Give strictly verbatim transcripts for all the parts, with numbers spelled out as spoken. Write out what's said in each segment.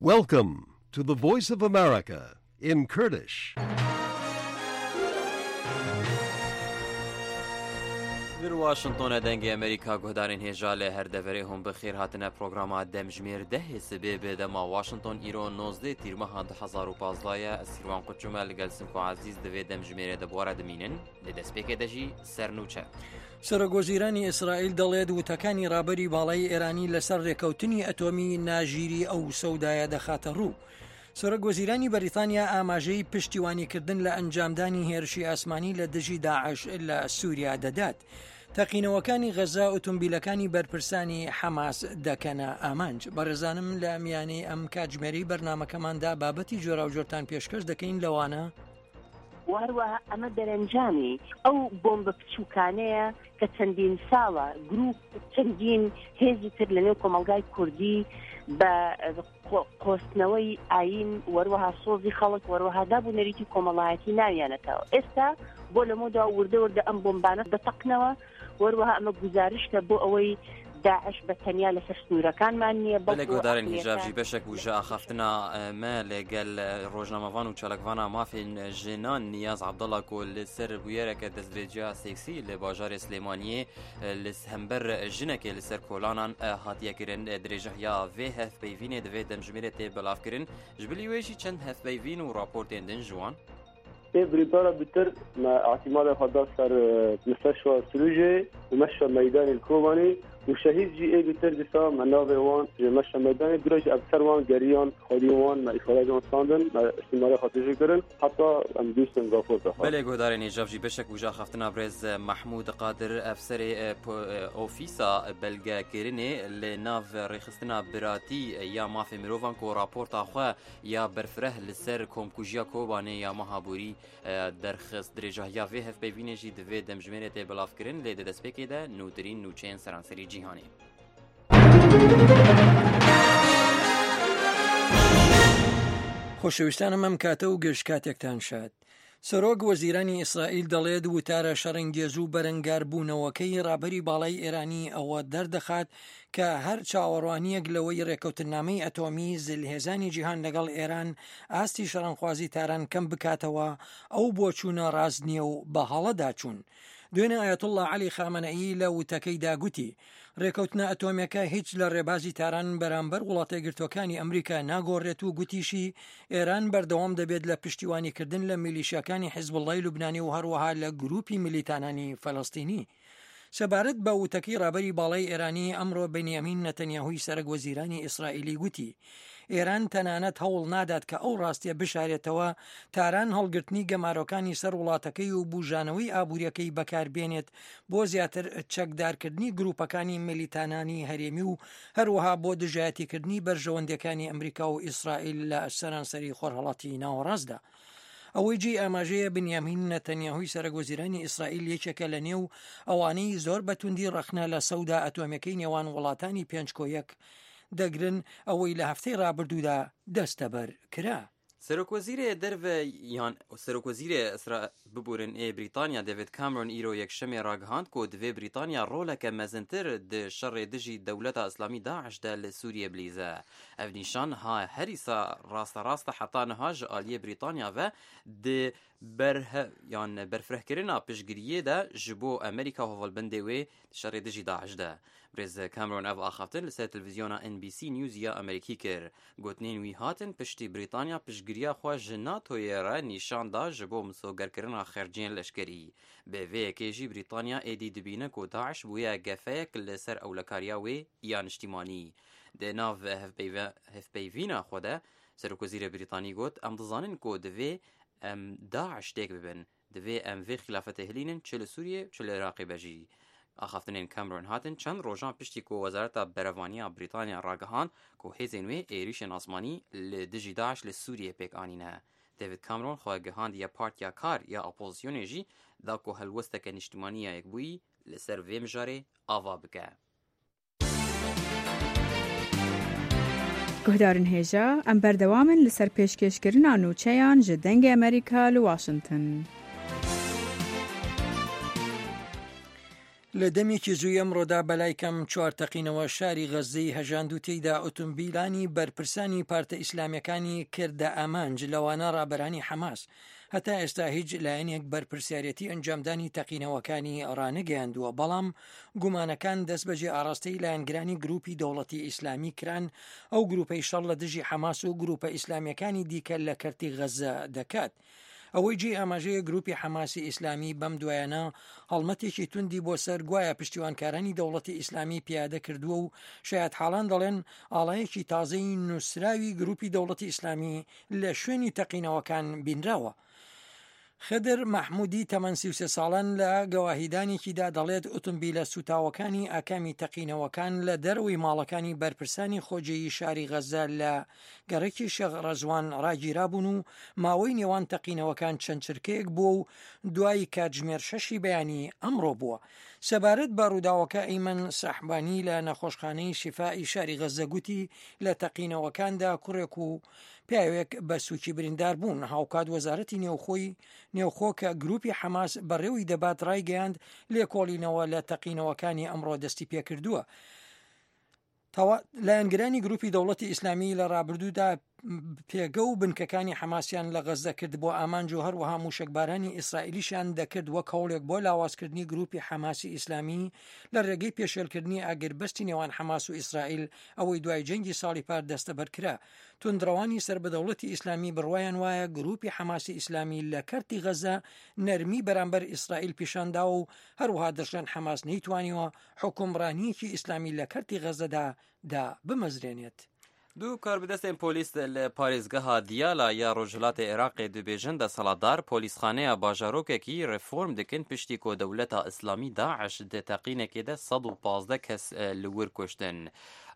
Welcome to the Voice of America in Kurdish. Li Washingtonê Dengê Amerîka, guhdarên hêja li her deverê hûn bi xêr hatine programa Demjimêr dehê sibê bi dema Washington, îro nozdeh tîrmeha du hezar û pazdeh ye. Ez Sîrwan Quçum e, li gel Simko Ezîz divê demjimêrê de bi we re dimînin. Li destpêkê de jî sernûçe. سەرۆکوەزیرانی ئیسرائیل دەڵێت وتەکانی ڕابەری باڵای ئێرانی لەسەر ڕێکەوتنی ئەتۆمی ناژیری ئەو سەودایە دەخاتە ڕوو. سەرۆکوەزیرانی بەریتانیا ئاماژەی پشتیوانیکردن لە ئەنجامدانی هێرشی ئاسمانی لە دژی داعش لە سووریا دەدات. تەقینەوەکانی غەزا ئۆتۆمبیلەکانی بەرپرسانی حەماس دەکەنە ئامانج. بەڕێزانم، لە میانەی ئەم کاتژمێرەی بەرنامەکەماندا بابەتی جۆراوجۆرتان پێشکەش دەکەین، لەوانە و هەروەها ئەمە دەرەنجامی ئەو بۆمبە بچووکانەیە کە چەندین ساڵە گروپ، چەندین هێزی تر لە نێو کۆمەڵگای کوردی بە قۆ-، قۆستنەوەی ئایین، وەروەها سۆزی خەڵک، وەروەها داب و نەریتی کۆمەڵایەتی ناویانەتەوە. ئێستا بۆ لە مۆدا وردە وردە ئەم بۆمبانە دەتەقنەوە، وەروەها ئەمە گوزارشتە بۆ ئەوەی داعش بە تەنیا لەسەر سنوورەکانمان نییە، بەڵکو بەڵێ، گۆدارن هیجاب ئەقلیەکان جی بەشێک وژە ئاخافتنا، ئە، مە لەگەل، ئە، ڕۆژنامەڤان و چالاکڤانا مافên jinan Niyaz Abdallah ku li ser bûyereke destdirêciya seksî li bajarê Silêmaniyê، ئە، li hember jinekê li ser kolanan، ئە، hatiye kirin. ئە، dirêjahiya vê hevpeyvînê divê demjimêrê tê belavkirin. Ji bilî wê jî çend hevpeyvîn û raportên din ji wan. Ê birîndara bitir me ihtimalê xwe da ser, e, Misteshfa Sirûjê û Meşfa Meydanê li Kobanê û şehîd jî ê bitir dîsa me navê wan ji Meşfa Meydanê, dûra jî ev ser wan geriyan, xwedî wan me îfadeyê wan standin, me ihtimalê xwe tijî kirin, heta em bihîstin raporta xwe. Belê, guhdarên hêjav jî beşek wî ji axaftina birêz Mehmûd Qadir, efserê, e, po-, e, ofîsa belgekirinê li nav rêxistina biratî ya mafê mirovan ku raporta xwe ya berfireh li ser komkujiya Kobanê ya meha borî, e, derxist. Dirêjahiya vê hevpeyvînê jî di vê demjimêrê tê belavkirin, lê di destpêkê de nûtirîn nûçeyên seranserî cîhanê. خۆشەویستانم، ئەم کاتە و گەشت کاتێکتان شاد. سەرۆک وەزیرانی ئیسرائیل دەڵێت وتارە شەڕەنگێز و بەرەنگاربوونەوەکەی ڕابەری باڵای ئێرانی ئەوە دەردەخات کە هەر چاوەڕوانیەک لەوەی ڕێکەوتننامەی ئەتۆمی زلهێزانی جیهان لەگەڵ ئێران ئاستی شەڕەنخوازی تاران کەم بکاتەوە، ئەو بۆچوونە ڕاست نییە و بە هەڵەدا چوون. دوێنێ ئایەتوڵڵا عەلی خامەنەیی لە وتەکەیدا گوتی، ڕێکەوتنە ئەتۆمیەکە هیچ لە ڕێبازی تاران بەرامبەر وڵاتە یەکگرتوەکانی ئەمریکا ناگۆڕێت و گوتیشی، ئێران بەردەوام دەبێت لە پشتیوانیکردن لە میلیشیاکانی حیزبوڵڵای لوبنانی و هەروەها لە گروپی میلیتانانی فەلەستینی. سەبارەت بە وتەکەی ڕابەری باڵای ئێرانی، ئەمڕۆ بنیامین نەتەنیاهوی سەرەک وەزیرانی ئیسرائیلی گوتی، ئێران تەنانەت هەوڵ نادات کە ئەو ڕاستیە بشارێتەوە، تاران هەڵگرتنی گەمارۆکانی سەر وڵاتەکەی و بوژانەوەی ئابووریەکەی بەکاربێنێت بۆ زیاتر چەکدارکردنی گروپەکانی میلیتانانی هەرێمی و هەروەها بۆ دژایەتیکردنی بەرژەوەندیەکانی ئەمریکا و ئیسرائیل لە سەرانسەری خۆرهەڵاتی ناوەڕاستدا. ئەوەی جێی ئاماژەیە، بنیامین نەتەنیاهوی سەرەک وەزیرانی ئیسرائیل یەکێکە لە نێو ئەوانەی زۆر بە توندی ڕەخنە لە سەودا ئەتۆمیەکەی نێوان وڵاتانی پێنج کۆ یەک دەگرن، ئەوەی لە هەفتەی ڕابردوودا دەستەبەر کرا. Serokwezîrê Derve yan Serokwezîrê Îsra-, biborin ê Brîtanya David Cameron îro yekşemê ragihand ku divê Brîtanya roleke mezintir di şerê dijî Dewleta Îslamî DAIŞ de li Sûriyê bilîze. Ev nîşan ha herî sa rasterast e heta niha ji aliyê Brîtanya ve di berhe-, yan berfirehkirina piştgiriyê de ji bo Amerîka û hevalbendê wê di şerê dijî DAIŞ de. Birêz Cameron ev axaftin li ser televîzyona N B C News ya Amerîkî kir. Gotinên wî hatin piştî Brîtanya piştgiriya xwe ji NATOyê re nîşan da ji bo misogerkirina xerciyên leşkerî. Bi vê yekê jî Brîtanya êdî dibîne ku DAIŞ bûye gefeyek li ser ewlekariya wê ya niştîmanî. Di nav hevpeyve-, hevpeyvîna xwe de Serokwezîrê Brîtanî got, em dizanin ku divê em DAIŞ têk bibin. Divê em vê xilafetê hilînin, çi li Sûriyê, çi li Iraqê be jî. Axaftinên Cameron hatin çend rojan piştî ku Wezareta Berevaniya Brîtanya ragihand ku hêzên wê êrîşên asmanî li dijî DAIŞ li Sûriyê pêk anîne. David Cameron xwe gihandiye Partiya Kar ya Opozisyonê jî da ku helwesteke niştimanî ya Yekbûyî li ser vê mijarê ava bike. Guhdarên hêja, em berdewam in li ser pêşkêşkirina nûçeyan ji Dengê Amerîka li Washington. لە دەمێکی زووی ئەمڕۆدا بەلای کەم چوار تەقینەوە شاری غەززەی هەژاند و تێیدا ئۆتۆمبیلانی بەرپرسانی پارتە ئیسلامیەکانی کردە ئامانج، لەوانە ڕابەرانی حەماس. هەتا ئێستا هیچ لایەنێک بەرپرسیارەتی ئەنجامدانی تەقینەوەکانی ڕانەگەیاندووە، بەڵام گومانەکان دەست بەجێ ئاراستەی لایەنگرانی گروپی دەوڵەتی ئیسلامی کران. ئەو گروپەی شەڕ لە دژی حەماس و گروپە ئیسلامیەکانی دیکە لە کەرتی غەززە دەکات. ئەوەی جێ ئاماژەیە، گروپی حەماسی ئیسلامی بەم دوایانە هەڵمەتێکی توندی بۆ سەر گوایە پشتیوانکارانی دەوڵەتی ئیسلامی پیادە کردووە و شایەت حاڵان دەڵێن ئاڵایەکی تازەی نووسراوی گروپی دەوڵەتی ئیسلامی لە شوێنی تەقینەوەکان بینراوە. خدر مەحمودی تەمەن سی و سێ ساڵان لە گەواهیدانێکیدا دەڵێت ئۆتۆمبیلە سوتاوەکانی ئاکامی تەقینەوەکان لە دەرەوەی ماڵەکانی بەرپرسانی خۆجێیی شاری غەززە لە گەڕەکی شێخ ڕەزوان ڕاگیرابوون و ماوەی نێوان تەقینەوەکان چەند چرکەیەک بووە و دوای کاتژمێر شەشی بەیانی ئەمڕۆ بووە. سەبارەت بە ڕووداوەکە، ئەیمەن سەحبانی لە نەخۆشخانەی شیفای شاری غەززە گوتی لە تەقینەوەکاندا کوڕێک و پیاوێک بە سووکی بریندار بوون. هاوکات وەزارەتی نێوخۆی نێوخۆ کە گروپی حەماس بەڕێوەی دەبات ڕایگەیاند لێکۆڵینەوە لە تەقینەوەکانی ئەمڕۆ دەستی پێکردووە. تەوا-، لایەنگرانی گروپی دەوڵەتی ئیسلامی لە ڕابردوودا پێگە و بنکەکانی حەماسیان لە غەززە کرد بۆ ئامانج و هەروەها موشکبارانی ئیسرائیلیشیان دەکرد وەک هەوڵێک بۆ لاوازکردنی گروپی حەماسی ئیسلامی لە ڕێگەی پێشێلکردنی ئاگربەستی نێوان حەماس و ئیسرائیل، ئەوەی دوای جەنگی ساڵی پار دەستەبەر کرا. توندڕەوانی سەر بە دەوڵەتی ئیسلامی بڕوایان وایە گروپی حەماسی ئیسلامی لە کەرتی غەزە نەرمی بەرامبەر ئیسرائیل پیشاندا و هەروەها دەشڵێن حەماس نەیتوانیوە حکومڕانیەکی ئیسلامی لە کەرتی غەزەدا دا بمەزرێنێت. دوو کاربدەستên polîs li parêzgeha Diyala ya Rojhilatê Iraqê dibêjin, desthilatdar polîsxaneya bajarokekî reform dikin, piştî ku dewleta Îslamî DAIŞ di teqînekê de sed û pazdeh kes, e, li wir kuştin.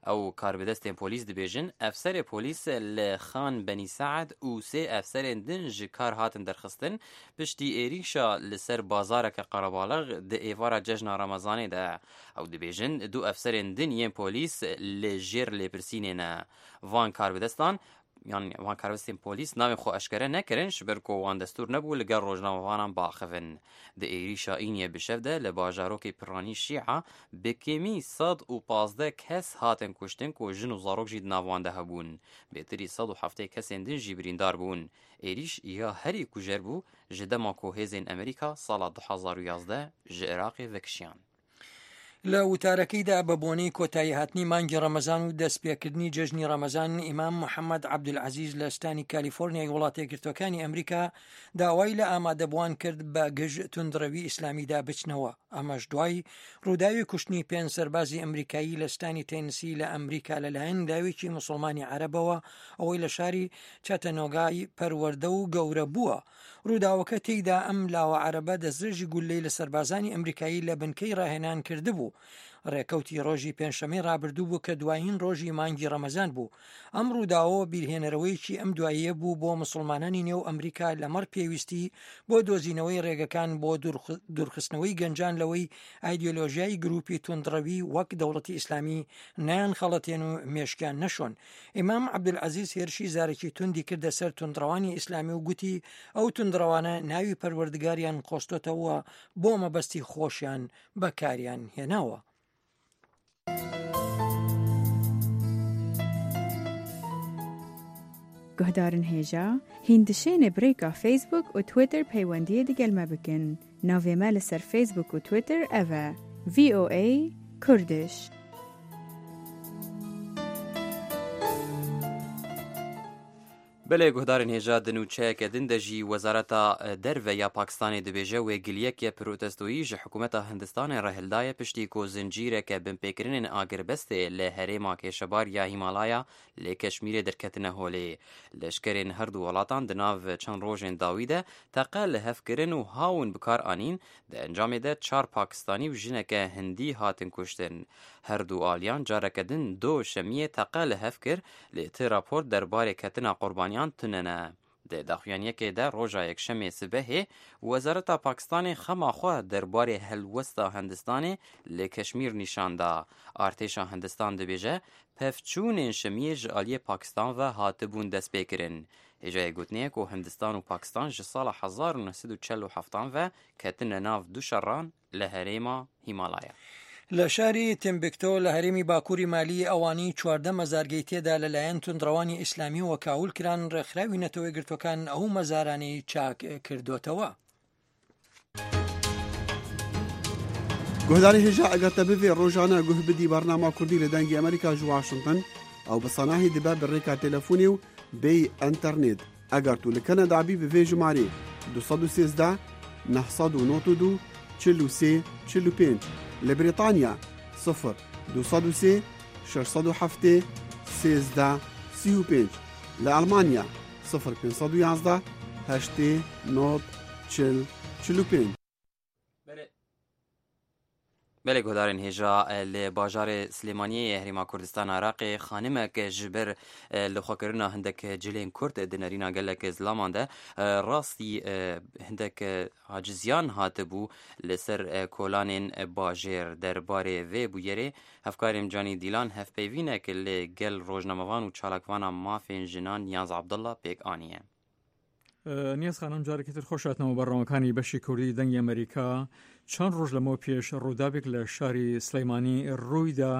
Ew karbidestên polîs dibêjin, efserê polîs li Xan Benî Seed û sê efserên din ji kar hatin derxistin, piştî êrîşa li ser bazareke qerebalix di êvara cejna Remezanê de. Ew dibêjin, du efserên din yên polîs li jêr lêpirsînê ne. Van karbidestan, yan van karbidestên polîs navên xwe eşkere nekirin, ji ber ku wan destûr nebû li gel rojnamevanan biaxivin. Di êrîşa Îniyê bi şev de li bajarokê Piranî Şîa bi kêmî sed û pazdeh kes hatin kuştin ku jin û zarok jî di nav wan de hebûn. Bêtirî sed û heftê kesên din jî birîndar bûn. Êrîş ya herî kujer bû ji dema ku hêzên Amerîka sala du hezar û yazdeh ji Iraqê vekişiyan. لە وتارەکەیدا بە بۆنەی کۆتایی هاتنی مانگی ڕەمەزان و دەستپێکردنی جەژنی ڕەمەزان، ئیمام محەممەد عەبدولعەزیز لە شتانی کالیفۆرنیای وڵاتە یەکگرتوەکانی ئەمریکا داوای لە ئامادەبووان کرد بە گژ توندڕەوی ئیسلامیدا بچنەوە. ئەمەش دوای ڕووداوی کوشتنی پێنج سەربازی ئەمریکایی لە شتانی تێنسی لە ئەمریکا لەلایەن لاوێکی موسڵمانی عەرەبەوە، ئەوەی لە شاری چەتەنۆگای پەروەردە و گەورە بووە. ڕووداوەکە تێیدا ئەم لاوە عەرەبە دەستدرێژی گوللەی لە سەربازانی ئەمریکایی لە بنکەی ڕاهێنان کردبوو. ڕێکەوتی ڕۆژی پێنجشەممەی ڕابردوو بوو کە دوایین ڕۆژی مانگی ڕەمەزان بوو. ئەم ڕووداوە بیرهێنەرەوەیەکی ئەم دواییە بوو بۆ موسڵمانانی نێو ئەمریکا لەمەڕ پێویستی بۆ دۆزینەوەی ڕێگەکان بۆ دوورخ-، دوورخستنەوەی گەنجان لەوەی ئایدیۆلۆژیای گروپی توندڕەوی وەک دەوڵەتی ئیسلامی نەیان خەڵەتێن و مێشکیان نەشۆن. ئیمام عەبدولعەزیز هێرشی زارەکی توندی کردە سەر توندڕەوانی ئیسلامی و گوتی، ئەو توندڕەوانە ناوی پەروەردگاریان قۆستۆتەوە، بۆ مەبەستی خۆشیان بەکاریان هێناوە. Guhdarên hêja, hîn dişêne bi rêka Facebook û Twitter peywendiyê digel me bikin. Navê me li ser Facebook û Twitter ev e, V O A Kurdish. Belê guhdarên hêja, di nûçeyeke din de jî Wezareta Derve ya Pakistanê dibêje wê giliyeke protestoyî ji hikûmeta Hindistanê re hildaye, piştî ku zincîreke binpêkirinên agirbestê li herêma kêşebar ya Hîmalaya lê Keşmîrê derketine holê. Leşkerên her du welatan di nav çend rojên dawî de teqe li hev kirin û hawin bi kar anîn, di encamê de çar Pakistanî û jineke Hindî hatin kuştin. Her du aliyan careke din do şemiyê teqe li hev kir, lê ti rapor derbarê ketina qurbaniyan tune ne. Di daxuyaniyekê de roja Yekşemê sibehê Wezareta Pakistanê xema xwe derbarê helwesta Hindistanê li Keşmîr nîşan da. Artêşa Hindistan dibêje, pevçûnên Şimiyê ji aliyê Pakistan ve hatibûn destpêkirin. Hêjayê gotinê ye ku Hindistan û Pakistan ji sala hezar û neh sed û çel û heft ve ketine nav du şeran li herêma Hîmalaya. لە شاری تیمبکتۆ لە هەرێمی باکووری مالی ئەوانەی چواردە مەزارگەی تێدا لەلایەن توندڕەوانی ئیسلامیەوە کاول کران، ڕێکخراوی نەتەوە یەکگرتووەکان ئەو مەزارانەی چاک کردوتەوە. Guhdarê hêja, eger te bivê rojane guh bidî bernama Kurdî li Dengê Amerîka ji Washington, ew bi sanahî dibe bi rêka telefonê û bêyî enternet. Eger tu li Kanada bî, bi vê jimarê: du sed û sêzdeh, neh sed û nod û du, çil û sê, çil û pênc. Li Brîtanya: sifir du sed û sê, şeş sed û heftê, sêzdeh, sî û pênc. Li Elmanya: sifir pênc sed û yazdeh, heştê, nod, çil, çil û pênc. Belê, belê guhdarên hêja, e, li bajarê Silêmaniyê yê Herêma Kurdistana Iraqê xanimek ji ber, e, lixwekirina hindek cilên Kurd di nerîna gelek zilaman de, e, rastî, e, hindek, e, aciziyan hatibû li ser, e, kolanên, e, bajêr. Derbarê vê bûyerê hevkarê min Canî Dîlan hevpeyvînek li gel rojnamevan û çalakvana mafên jinan Niyaz Abdullah pêk aniye. Niyaz Xanim، جارێکی تر خۆش هاتنەوە بەڕەوەکانی بەشی کوردی دەنگی ئەمریکا. چەند ڕۆژ لەمەوە پێش ڕووداوێک لە شاری سلەیمانی ڕوویدا،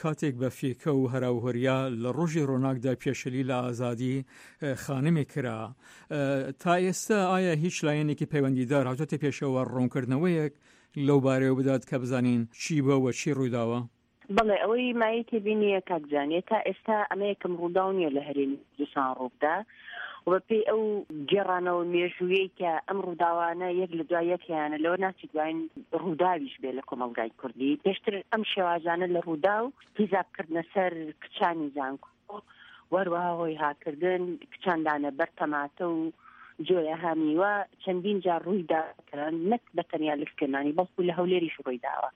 کاتێک بە فیکە و هەراوهۆریا لە ڕۆژی ڕۆناکدا پێشەلی لە ئازادی خانمی کرا. تا ئێستا ئایا هیچ لایەنێکی پەیوەندیدار هاتووەتە پێشەوە ڕوونکردنەوەیەک لەو بارەوە بدات کە بزانین چی بووە و چی ڕوویداوە؟ بەڵێ، ئەوەی مایەی تێبینیە کاک جانێ، تا ئێستا ئەمە یەکەم ڕووداو نییە لە هەرێمی کوردستان ڕووبدا و بە پێی ئەو گێڕانەوە مێژوویەی کە ئەم ڕووداوانە یەک لە دوای یەک هەیانە، لەوە ناچی دوایین ڕووداویش بێ لە کۆمەڵگای کوردی. پێشتر ئەم شێوازانە لە ڕووداو تیزابکردنە سەر کچانی زانکۆ، وەروەها هۆی هاکردن کچان دانە بەر تەماتە و جۆیە هامیوە چەندین جار ڕووی دا کە نەک بە تەنیا لە سلێمانی، بەڵکو لە هەولێریش ڕووی داوە.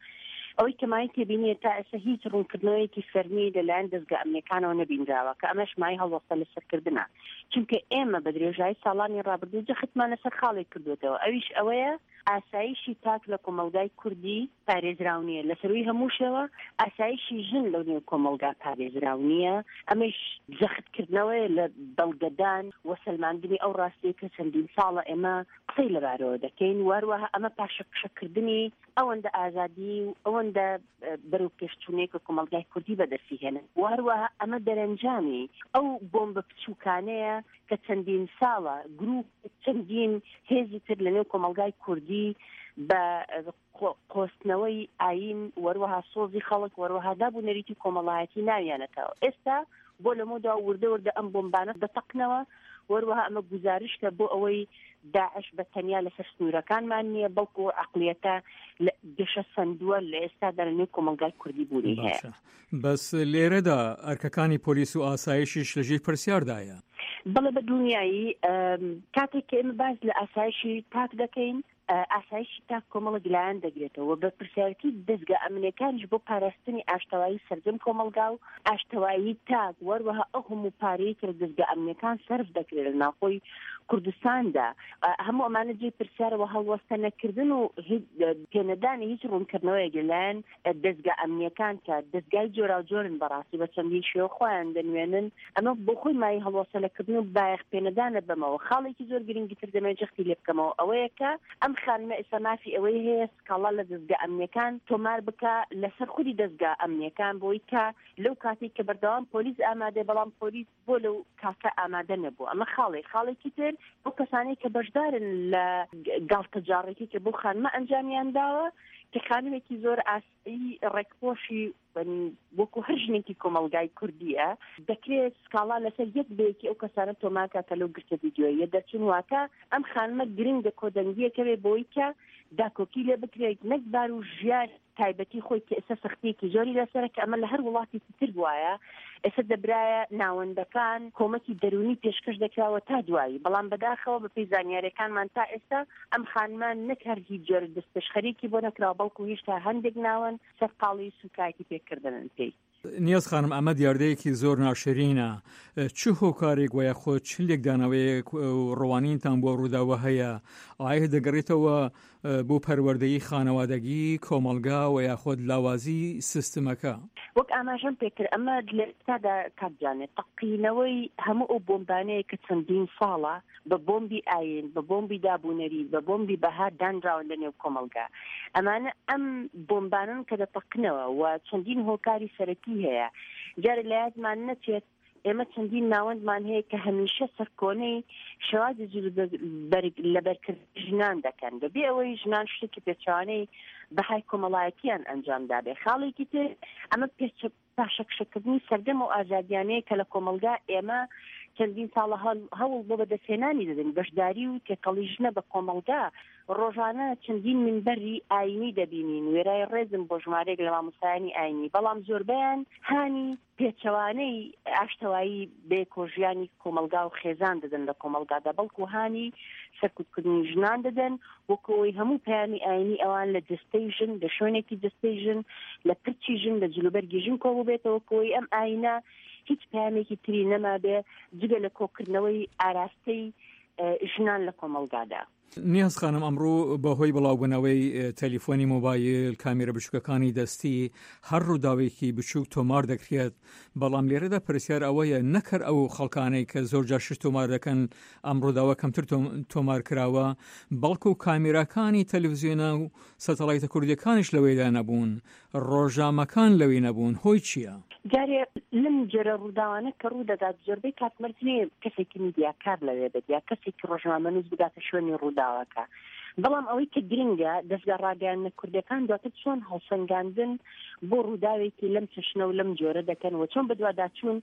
ئەوەی کە مایەی تێبینیە، تا ئێستا هیچ ڕوونکردنەوەیەکی فەرمی لەلایەن دەستگا ئەمنیەکانەوە نەبینراوە، کە ئەمەش مای هەڵوەستە لەسەرکردنە، چونکە ئێمە بە درێژایی ساڵانی ڕابردوو جەختمان لەسەر خاڵێک کردوێتەوە، ئەویش ئەوەیە ئاسایشی تاک لە کۆمەڵگای کوردی پارێزراو نییە. لە سەروی هەموو شێوە ئاسایشی ژن لەو نێو کۆمەڵگا پارێزراو نییە. ئەمەش جەختکردنەوەیە لە بەڵگەدان و سەلماندنی ئەو ڕاستیە کە چەندین ساڵە ئێمە قسەی لەبارەوە دەکەین. وەروەها ئەمە پاشەکشەکردنی ئەوەندە ئازادی و ئەوەندە، ئە، بەرەو پێشچوونەیە کە کۆمەڵگای کوردی بەدەستی هێنا. وەروەها ئەمە دەرەنجامی ئەو بۆمبە بچووکانەیە کە چەندین ساڵە گروپ، چەندین هێزی تر لە نێو کۆمەڵگای کوردی بە، ئە، قۆ-، قۆستنەوەی ئاین، وەروەها سۆزی خەڵک، وەروەها داب و نەریتی کۆمەڵایەتی ناویانەتەوە. ئێستا بۆ لەمەودا وردە وردە ئەم بۆمبانە دەتەقنەوە، وەروەها ئەمە گوزارشتە بۆ ئەوەی داعش بە تەنیا لەسەر سنوورەکانمان نییە، بەڵکو عەقڵیەتە لە گەشە سەندووە لە ئێستادا لە نێو کۆمەڵگای کوردی بوونی هەیە. باشە. بەس لێرەدا ئەرکەکانی پۆلیس و ئاسایشیش لە ژێر پرسیاردایە. بەڵێ، بە دڵنیایی، ئەم، کاتێک کە ئێمە باس لە ئاسایشی تاک دەکەین، ئە، ئاسایشی تاک کۆمەڵێک لایەن دەگرێتەوە، بە پرسیارەتی دەستگا ئەمنیەکانیش بۆ پاراستنی ئاشتەوایی سەرجەم کۆمەڵگا و ئاشتەوایی تاک، وەروەها ئەو هەموو پارەی کە لە دەستگا ئەمنیەکان سەرف دەکرێت لە ناوخۆی کوردستاندا. ئە، هەموو ئەمانە جێی پرسیارەوە هەڵوەستە نەکردن و هیچ، ئە، پێنەدانی هیچ ڕوونکردنەوەیەک لەلایەن، ئە، دەستگا ئەمنیەکان کە دەستگای جۆراوجۆرن بەڕاستی بە چەندین شێوە خۆیان دەنوێنن. ئەمە بۆ خۆی مای هەڵوەستە لەکردن و بایەخ پێنەدانە بەمەوە. خاڵێکی زۆر گرنگی تر دەمەوێت جەختی لێ بکەمەوە، ئەوەیە کە ئەم خانمە ئێستا مافی ئەوەی هەیە سکاڵا لە دەستگا ئەمنیەکان تۆمار بکە لەسەر خودی دەستگا ئەمنیەکان، بۆی کە لەو کاتێک کە بەردەوام پۆلیس ئامادەیە، بەڵام پۆلیس بۆ لەو کاتە ئامادە نەبوو. ئەمە خاڵێک. خاڵێکی تر، بۆ کەسانەی کە بەشدارن لە گاڵتەجاڕێکی کە بۆ خانمە ئەنجامیان داوە، کە خانمێکی زۆر ئاسایی ڕێکپۆشی، وەکو هەر ژنێکی کۆمەڵگای کوردیە، دەکرێت سکاڵا لەسەر یەک بەیەکی ئەو کەسانە تۆمارکە کە لەو گرتە ڤیدیۆیە دەرچوون. واتە ئەم خانمە گرنگە کۆدەنگیەکەوێ بۆی کە داکۆکی لێ بکرێت، نەک بار و ژیان تایبەتی خۆی کە ئێستا سەختیەکی زۆری لەسەرە، کە ئەمە لە هەر وڵاتێکی تر بووایە. ئێستا دەبرایە ناوەندەکان، کۆمەکی دەرونی پێشکەش دەکراوە تا دوایی، بەڵام بەداخەوە بە پێی زانیاریەکانمان تا ئێستا ئەم خانمە نەک هەر هیچ جۆرە دەستپێشخەریەکی بۆ نەکراوە، بەڵکو هێشتا هەندێک ناوەند سەرقاڵی سوکایەتی پێکردنن پێی. نیاز خانم، ئەمە دیاردەیەکی زۆر ناشرینە. چ هۆکارێک وە یاخود چ لێکدانەوەیەک و ڕوانینتان بۆ ڕووداوە هەیە؟ ئایا دەگەڕێتەوە بۆ پەروەردەی خانەوادەگی، کۆمەڵگا و یاخود لاوازی سیستمەکە؟ وەک ئاماژەم پێکرد، ئەمە لە ئێستادا، کاک جانێ، تەقینەوەی هەموو ئەو بۆمبانەیە کە چەندین ساڵە بە بۆمبی ئاین، بە بۆمبی دابوونەری، بە بۆمبی بەها دانراوە لە نێو کۆمەڵگا. ئەمانە ئەم بۆمبانن کە دەتەقنەوە و چەندین هۆکاری سەرەکی هەیە. جارێ لە یادمان نەچێت، ئێمە چەندین ناوەندمان هەیە کە هەمیشە سەرکۆنەی شێوازی جلوبەرگ لە بەرکردنی ژنان دەکەن، بەبێ ئەوەی ژنان شتێکی پێچەوانەی بەهای کۆمەڵایەتیان ئەنجام دابێ. خاڵێکی تر، ئەمە پێچە پاشەکشەکردنی سەردەم و ئازادیانەیە کە لە کۆمەڵگا ئێمە چەندین ساڵە هەڵ-، هەوڵ بۆ بەدەستهێنانی دەدەین. بەشداری و تێکەڵی ژنە بە کۆمەڵگا، ڕۆژانە چەندین منبەری ئاینی دەبینین، وێرای ڕێزم بۆ ژمارەیەک لە مامۆستایانی ئاینی، بەڵام زۆربەیان هانی پێچەوانەی ئاشتەوایی بێ کۆژیانی کۆمەڵگا و خێزان دەدەن لە کۆمەڵگادا، بەڵکو هانی سەرکوتکردنی ژنان دەدەن، وەکو ئەوەی هەموو پەیامی ئاینی ئەوان لە جستەی ژن، لە شوێنێکی جستەی ژن، لە پرچی ژن، لە جلوبەرگی ژن کۆ ببێتەوە، وەکو ئەوەی ئەم ئاینە هیچ پەیامێکی تری نەمابێ جگە لە کۆکردنەوەی ئاراستەی، ئە، ژنان لە کۆمەڵگادا. نیاز خانم، ئەمڕۆ بەهۆی بڵاوبوونەوەی، ئە، تەلیفۆنی مۆبایل، کامێرە بچووکەکانی دەستی، هەر ڕووداوێکی بچووک تۆمار دەکرێت. بەڵام لێرەدا پرسیار ئەوەیە، نەکەر ئەو خەڵکانەی کە زۆر جار شت تۆمار دەکەن، ئەم ڕووداوە کەمتر تۆم-، تۆمار کراوە، بەڵکو کامێراکانی تەلەڤیزیۆنە و سەتەڵایتە کوردیەکانیش لەوەیدا نەبوون، ڕۆژنامەکان لەوەی نەبوون. هۆی چییە؟ جارێ لەم جۆرە ڕووداوانە کە ڕوو دەدات، زۆربەی کات مەرج نییە کەسێکی میدیاکار لەوێ بێت یا کەسێکی ڕۆژنامەنووس بگاتە شوێنی ڕووداوەکە. بەڵام ئەوەی کە گرنگە، دەستگا ڕاگەیاندنە کوردیەکان دواتر چۆن هەڵسەنگاندن بۆ ڕووداوێکی لەم چەشنە و لەم جۆرە دەکەن و چۆن بەدواداچوون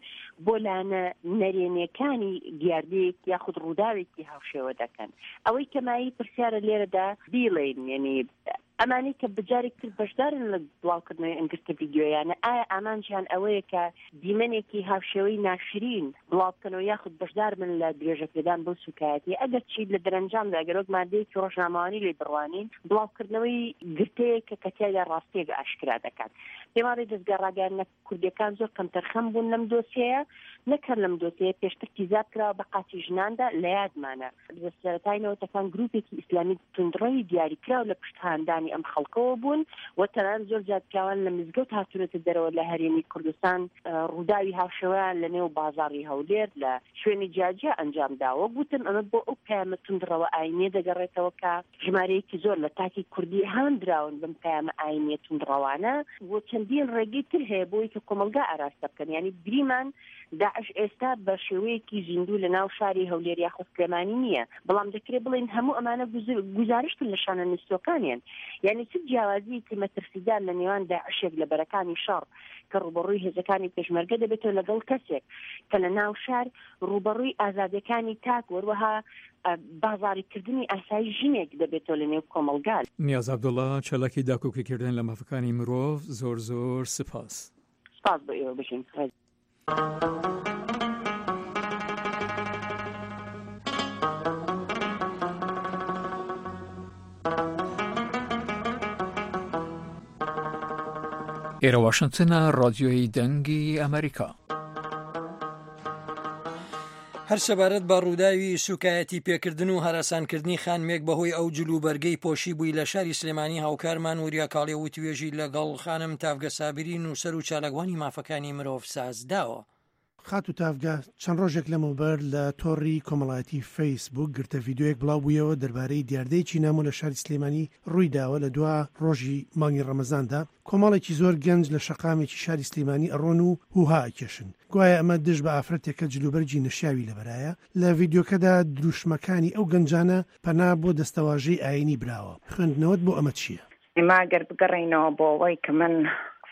بۆ لایەنە نەرێنیەکانی دیاردەیەک یاخود ڕووداوێکی هاوشێوە دەکەن. ئەوەی کە مایەی پرسیارە لێرەدا بیڵێن، یعنی ئەمانەی کە بەجارێک تر بەشدارن لە بڵاوکردنەوەی ئەم گرتە ڤیدیۆیانە، ئایا ئامانجیان ئەوەیە کە دیمەنێکی هاوشێوەی ناشرین بڵاو بکەنەوە یاخود بەشدار بن لە درێژەپێدان بەو سوکایەتی؟ ئەگەرچی لە دەرەنجامدا، ئەگەر وەک مادەیەکی ڕۆژنامەوانی لێ بڕوانین، بڵاوکردنەوەی گرتەیەک کە، کە تیایدا ڕاستیەک ئاشکرا دەکات. پێم وابێت دەستگا ڕاگەیاندنە کوردیەکان زۆر کەمتەرخەم بوون لەم دۆسیەیە. نەکەر لەم دۆسیەیە پێشتر تیزاب کراوە بە قاچی ژناندا، لە یادمانە لە سەرەتای نەوەتەکان گروپێکی ئیسلامی توندڕەوی دیاریکراو لە پشت هاندانی ئەم خەڵکەوە بوون و تەنانەت زۆر جار پیاوان لە مزگەوت هاتوونەتە دەرەوە لە هەرێمی کوردستان، ئە، ڕووداوی هاوشێوەیان لە نێو بازاڕی هەولێر لە شوێنی جیاجیا ئەنجام داوە. گوتم ئەمە بۆ ئەو پەیامە توندڕەوە ئاینیە دەگەڕێتەوە کە ژمارەیەکی زۆر لە تاکی کوردی هاندراون بەم پەیامە ئاینیە توندڕەوانە و چەندین ڕێگەی تر هەیە بۆی کە کۆمەلگا ئاراستە بکەن. یعنی گریمان داعش ئێستا بە شێوەیەکی زیندوو لە ناو شاری هەولێر یاخود سلێمانی نییە، بەڵام دەکرێت بڵێن هەموو ئەمانە گوز-، گوزارشتن لە شانە نووسەکانیان. یعنی چ جیاوازیەکی مەترسیدار لە نێوان داعشێک لە بەرەکانی شەڕ کە ڕوبەڕووی هێزەکانی پێشمەرگە دەبێتەوە لەگەڵ کەسێک کە لە ناو شار ڕوبەڕووی ئازادیەکانی تاک، وەروەها، ئە، بازاڕیکردنی ئاسایی ژنێک دەبێتەوە لە نێو کۆمەلگا. نیاز عەبدوڵڵا، چالاکی داکۆکیکردن لە مافەکانی مرۆڤ، زۆر زۆر سپاس. سپاس بۆ ئێوە، بژین. ئێرە واشنگتنە، ڕادیۆی دەنگی ئەمریکا. هەر سەبارەت بە ڕووداوی سوکایەتی پێکردن و هەراسانکردنی خانمێک بەهۆی ئەو جل و بەرگەی پۆشی بووی لە شاری سلێمانی، هاوکارمان وریا کاڵێ وتوێژی لەگەڵ خانم تافگە سابری، نووسەر و چالاکوانی مافەکانی مرۆڤ ساز داوە. خاتو تافگە، چەند ڕۆژێک لەمەوبەر لە تۆڕی کۆمەڵایەتی فەیسبوک گرتە ڤیدیۆیەک بڵاو بوویەوە دەربارەی دیاردەی چینامۆ لە شاری سلێمانی ڕوویداوە. لە دوا ڕۆژی مانگی ڕەمەزاندا کۆمەڵێکی زۆر گەنج لە شەقامێکی شاری سلێمانی ئەڕۆن و هوها ئەکێشن، گوایە ئەمە دژ بە ئافرەتێکە جلوبەرگی نەشیاوی لەبەرایە. لە ڤیدیۆکەدا دروشمەکانی ئەو گەنجانە پەنا بۆ دەستەواژەی ئاینی براوە. خوێندنەوەت بۆ ئەمە چییە؟ ئێمە ئەگەر بگەڕێینەوە بۆ ئەوەی کە من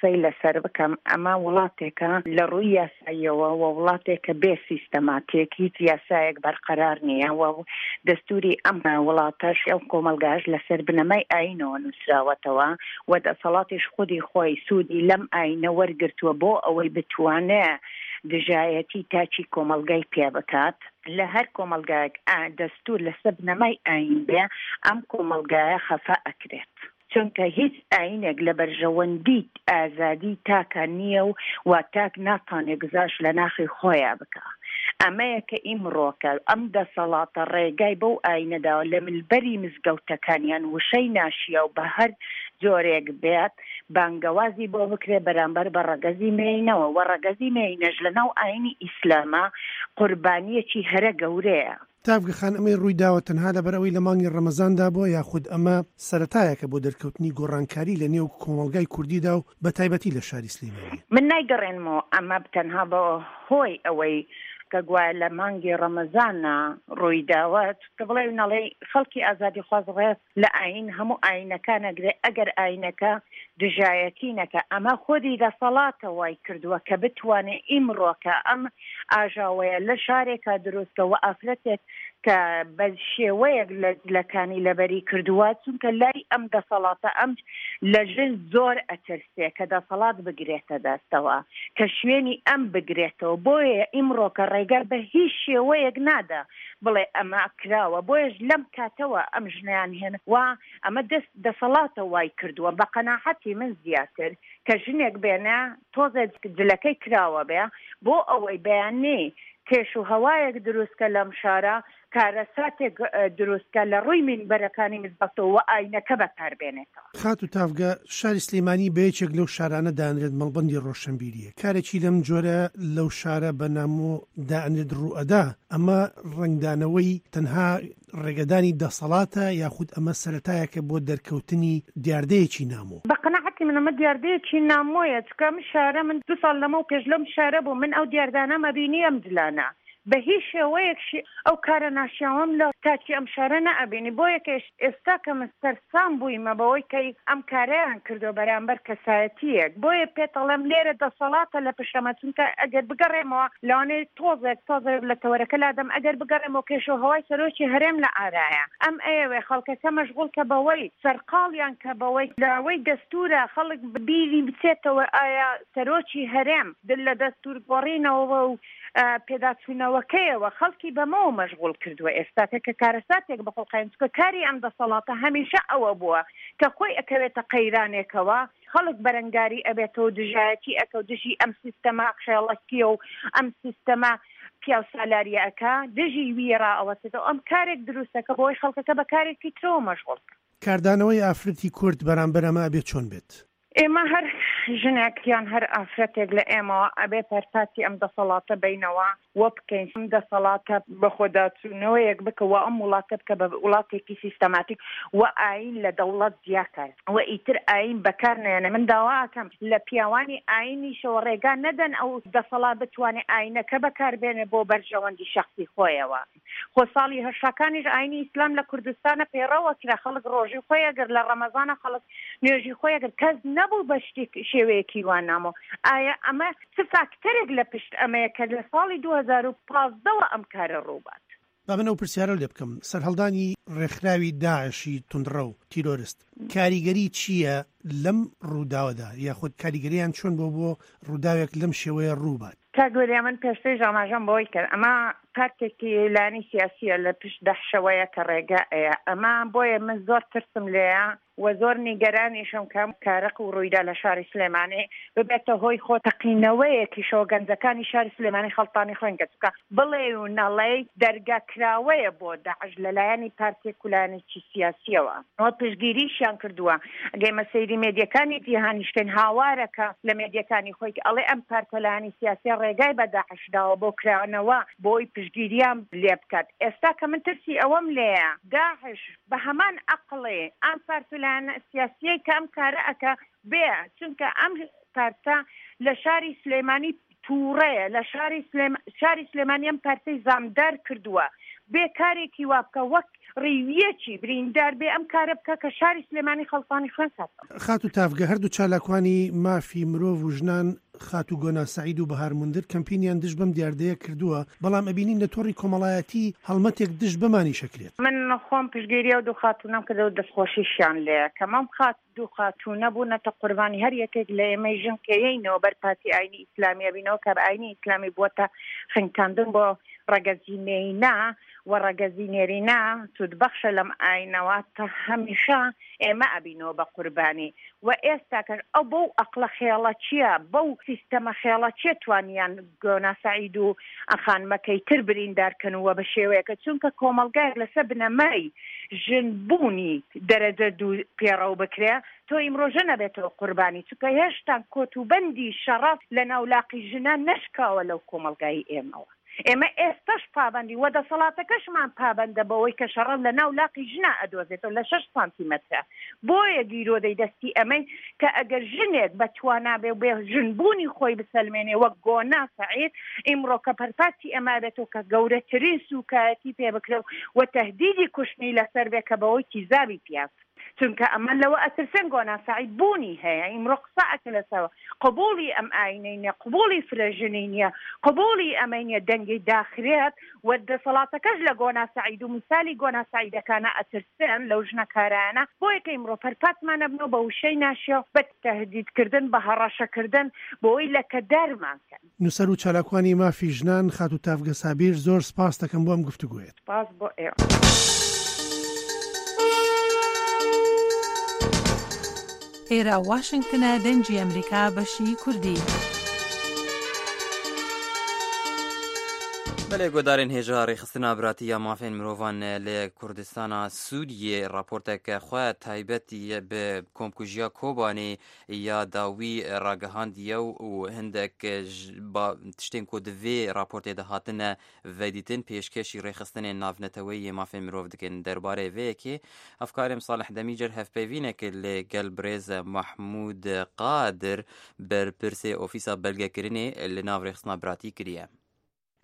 قسەی لەسەر بکەم، ئەمە وڵاتێکە لە ڕووی یاساییەوە و وڵاتێکە بێ سیستەماتیک، هیچ یاسایەک بەرقەرار نییە و دەستوری ئەم وڵاتەش، ئەو کۆمەلگاش لەسەر بنەمای ئاینەوە نووسراوەتەوە و دەسەڵاتیش خودی خۆی سوودی لەم ئاینە وەرگرتووە بۆ ئەوەی بتوانێ دژایەتی تاکی کۆمەلگای پێ بکات. لە هەر کۆمەلگایەک ئا-، دەستور لەسەر بنەمای ئاین بێ، ئەم کۆمەلگایە خەفا ئەکرێت. چونکە هیچ ئاینێک لە بەرژەوەندی ئازادی تاکە نییە و وا تاک ناتانێ گزاش لە ناخی خۆیان بکە. ئەمەیە کە ئیمڕۆکە ئەم دەسەڵاتە ڕێگای بەو ئاینەداوە لە ملبەری مزگەوتەکانیان وشەی ناشیاو بە هەر جۆرێک بێت بانگەوازی بۆ بکرێ بەرامبەر بە ڕەگەزی مێینەوە و ڕەگەزی مێینەش لە ناو ئاینی ئیسلاما قوربانیەکی هەرە گەورەیە. تافگە خان، ئەمەی ڕووی داوە تەنها لەبەر ئەوەی لە مانگی ڕەمەزاندا بووە، یاخود ئەمە سەرەتایەکە بۆ دەرکەوتنی گۆڕانکاری لە نێو کۆمەڵگای کوردیدا و بە تایبەتی لە شاری سلێمانی؟ من نایگەڕێنمەوە ئەمە تەنها بە هۆی ئەوەی کە گوایە لە مانگی ڕەمەزانە ڕووی داوە، کە بڵێ نەڵێ خەڵکی ئازادی خواز ڕێز لە ئاین هەموو ئاینەکانە گرێ، ئەگەر ئاینەکە دژایەتی نەکە. ئەمە خودی دەسەڵاتە وای کردووە کە بتوانێ ئیمڕۆکە ئەم ئاژاوەیە لە شارێکە دروستکە و ئافرەتێک کە بە شێوەیەک لە جلەکانی لەبەری کردووە، چونکە لای ئەم دەسەڵاتە ئەم لە ژن زۆر ئەترسێ کە دەسەڵات بگرێتە دەستەوە، کە شوێنی ئەم بگرێتەوە. بۆیە ئیمڕۆکە ڕێگە بە هیچ شێوەیەک نادا بڵێ ئەمە کراوە. بۆیەش لەم کاتەوە ئەم ژنیان هێن و ئەمە دەست دەسەڵاتە وای کردووە. بە قەناحەتی من زیاتر کە ژنێک بێنە تۆزێک جلەکەی کراوە بێ بۆ ئەوەی بەیاننی کێش و هەوایەک دروستکە لەم شارە، کارەساتێک، ئە، دروستکە لە ڕووی مینبەرەکانی مزگەوتەوە و ئاینەکە بەکاربێنێتەوە. خاتو تافگە، شاری سلێمانی بە یەکێک لەو شارانە دانرێت مەڵبەندی ڕۆشنبیریە. کارێکی لەم جۆرە لەو شارە بە نامۆ دانرێت ڕوو ئەدا. ئەمە ڕەنگدانەوەی تەنها ڕێگەدانی دەسەڵاتە، یاخود ئەمە سەرەتایەکە بۆ دەرکەوتنی دیاردەیەکی نامۆ؟ بە قەناعەتی من ئەمە دیاردەیەکی نامۆیە، چکە ئەم شارە من دو ساڵ لەمە و پێش لەم شارە بوو، من ئەو دیاردانە مەبینی ئەم جلانە. بە هیچ شێوەیەک شی-، ئەو کارە ناشیاوەم لە تاکی ئەم شارە نەئەبینی. بۆیە کە ئێش-، ئێستا کە من سەرسام بوویمە بەوەی کە ئەم کارەیان کردو بەرامبەر کەسایەتیەک. بۆیە پێت ئەڵێم لێرە دەسەڵاتە لە پشتەمە، چونکە ئەگەر بگەڕێمەوە لەوانەیە تۆزێک، تۆزێک لە تەوەرەکە لادەم، ئەگەر بگەڕێمەوە کێش و هەوای سەرۆکی هەرێم لە ئارایە. ئەم ئەیەوێ خەڵکەکە مەشغوڵ کە بەوەی سەرقاڵیان کە بەوەی لەوەی دەستورە خەڵک بیری بچێتەوە ئایا سەرۆکی هەرێم دل لە دەستور گۆڕینەوە و، ئە، پێداچوونەوەکەیەوە خەڵکی بەمەوە مەشغوڵ کردووە. ئێستا کە، کە کارەساتێک بە خۆڵقاین، چونکە کاری ئەم دەسەڵاتە هەمیشە ئەوە بووە کە خۆی ئەکەوێتە قەیرانێکەوە، خەڵک بەرەنگاری ئەبێتەوە، دژایەتی ئەکە و دژی ئەم سیستەمە خێڵەکیە و ئەم سیستەمە پیاو سالاریەکە دژی وی ڕائەوەتێتەوە. ئەم کارێک دروستەکە بۆی خەڵکەکە بە کارێکی ترەوە مەشغوڵ کە. کاردانەوەی ئافرەتی کورد بەرامبەر ئەمە ئەبێ چۆن بێت؟ ئێمە هەر ژنێک یان هەر ئافرەتێک لە ئێمەوە ئەبێ پەرتاتی ئەم دەسەڵاتە بینەوە وە بکەین. ئەم دەسەڵاتە بە خۆداچوونەوەیەک بکە و ئەم وڵاتە بکە بە وڵاتێکی سیستەماتیک و ئاین لە دەوڵەت جیاکە و ئیتر ئاین بەکار نێنە. من داواکەم لە پیاوانی ئاینیشەوە ڕێگا نەدەن ئەو دەسەڵات بتوانێت ئاینەکە بەکاربێنێ بۆ بەرژەوەندی شخصی خۆیەوە. خۆ ساڵی هەشتاکانیش ئاینی ئیسلام لە کوردستانە پەیڕەوە کرا. خەڵک ڕۆژی خۆی ئەگرت، لە ڕەمەزانە خەڵک نوێژی خۆی ئەگرت. کەس نەبوو بە شتێک شێوەیەکی وان نامۆ. ئایا ئەمە چ فاکتەرێک لە پشت ئەمەیە کە لە ساڵی دوو هەزار و پازدە وە ئەم کارە ڕووبات؟ با من ئەو پرسیارە لێ بکەم، سەرهەڵدانی ڕێکخراوی داعشی توندڕەو تیرۆرست کاریگەری چییە لەم ڕووداوەدا، یاخود کاریگەریان چۆن بۆ بۆ ڕووداوێک لەم شێوەیە ڕووبات؟ کاک وەریا، من پێشتریش ئاماژەم بەوەی کرد ئەمە پارتێکی لایەنی سیاسیە لە پشت دەحشەوەیە کە ڕێگا ئەیە. ئەمە بۆیە من زۆر ترسم لێیە و زۆر نیگەرانیشم کە ئەم کارەق و ڕوویدا لە شاری سلێمانی ببێتە هۆی خۆ تەقینەوەیەکیشەوە گەنجەکانی شاری سلێمانی خەڵتانی خوێن گەچکە بڵێ و نەڵێی دەرگاکراوەیە بۆ داعش لەلایەنی پارتێک و لایەنێکی سیاسیەوە. ئەوە پشتگیریشیان کردووە. ئەگەی مەسەیری مێدیەکانی جیهانیشکەین هاوارەکە لە مێدیەکانی خۆی ئەڵێ ئەم پارتەلایانی سیاسی ڕێگای بە داعش داوە بۆ کرانەوە بۆی پشتگیریان لێ بکات. ئێستا کە من ترسی ئەوەم لێیە داعش بە هەمان ئەقڵێ ئەم پارتەلایەنە سیاسیەی کە ئەم کارە ئەکە بێ، چونکە ئەم پارتە لە شاری سلێمانی تووڕەیە، لە شاری سلێم-، شاری سلێمانی ئەم پارتەی زامدار کردووە بێ کارێکی وا بکە وەک ڕیویەکی بریندار بێ ئەم کارە بکە کە شاری سلێمانی خەڵتانی خوێن کاتەوە. خاتو تافگە، هەردوو چالاکوانی مافی مرۆڤ و ژنان خاتو گۆنا سەعید و بەهار مندر کەمپینیان دژ بەم دیاردەیە کردووە، بەڵام ئەبینین لە تۆڕی کۆمەڵایەتی هەڵمەتێک دژ بەمانیش ئەکرێت. من خۆم پشتگیری ئەو دوو خاتوونەم کردەوە، دەستخۆشیشیان لێ کەم ئەم خات دوو خاتوونە بوونەتە قوربانی هەر یەکێک لە ئێمەی ژن کە یەینەوە بەر پارتی ئاینی ئیسلامی ئەبینەوە کە ئاینی ئیسلامی بووەتە خنکاندن بۆ ڕەگەزی مێینە و ڕەگەزی نێرینە سوودبەخشە لەم ئاینەوە تا هەمیشە ئێمە ئەبینەوە بە قوربانی. و ئێستاکەش ئەو بەو ئەقڵە خێڵەچیە، بەو سیستەمە خێڵەچیە توانیان گۆنا سەعید و ئەخانمەکەی تر بریندارکەن و بە شێوەیەکە، چونکە کۆمەڵگایەک لەسەر بنەمای ژنبوونی دەرەجە دوو پێڕەو بکرێ، تۆ ئیمڕۆژە نەبێتەوە قوربانی، چونکە هێشتا کۆت و بەندی شەڕەف لە ناولاقی ژنە نەشکاوە لەو کۆمەڵگای ئێمەوە. ئێمە ئێستاش پابەندی و دەسەڵاتەکەشمان پابەندە بەوەی کە شەڕەف لە ناو لاقی ژنا ئەدۆزێتەوە لە شەش سانتیمەترە. بۆیە گیرۆدەی دەستی ئەمەی کە ئەگەر ژنێک بە توانابێ و بێ ژنبوونی خۆی بسەلمێنێ وەک گۆنا سەعید، ئیمڕۆ کە پەرپاتی ئەما بێتەوە کە گەورەترین سوکایەتی پێ بکرێ و تەهدیدی کوشتنی لەسەر بێ کە بەوەی تیزابی پیاز. چونکە ئەمە لەوە ئەترسێن گۆنا سەعید بوونی هەیە، ئیمڕۆ قسە ئەکە لەسەوە قبولی ئەم ئاینەی نیە، قبولی فرەژنی نیە، قبولی ئەمەی نیە دەنگی داخرێت. و دەسەڵاتەکەش لە گۆنا سەعید و مثالی گۆنا سەعیدەکانە ئەترسێن، لەو ژنەکارانە. بۆیە کە ئیمڕۆ پەرپاتمانە بنەوە بە وشەی ناشیاو، بە تەهدیدکردن، بە هەڕەشەکردن، بۆی لەکەدارمان کەن. نووسەر و چالاکوانی مافی ژنان خاتوو تافگە سابیر، زۆر سپاس دەکەم بۆ ئەم گفتوگویەت. سپاس بۆ ئێوە. ئێرە واشنگتنە، دەنگی ئەمریکا، بەشی کوردی. بەڵێ، گۆدارên hêja rêxistina biratî ya mafên mirovan li Kurdistana Sûriyê raporteke xwe taybet bi komkujiya Kobanê ya dawî ragihandiye û hindek ji ba-, tiştên ku di vê raportê de hatine vedîtin pêşkêşî rêxistinên navneteweyî yê mafên mirov dikin. Derbarê vê yekê, hevkarê Salih Demîcer hevpeyvîneke li gel birêz Mahmûd Qadir, berpirsê Ofîsa Belgekirinê li nav rêxistina biratî kiriye.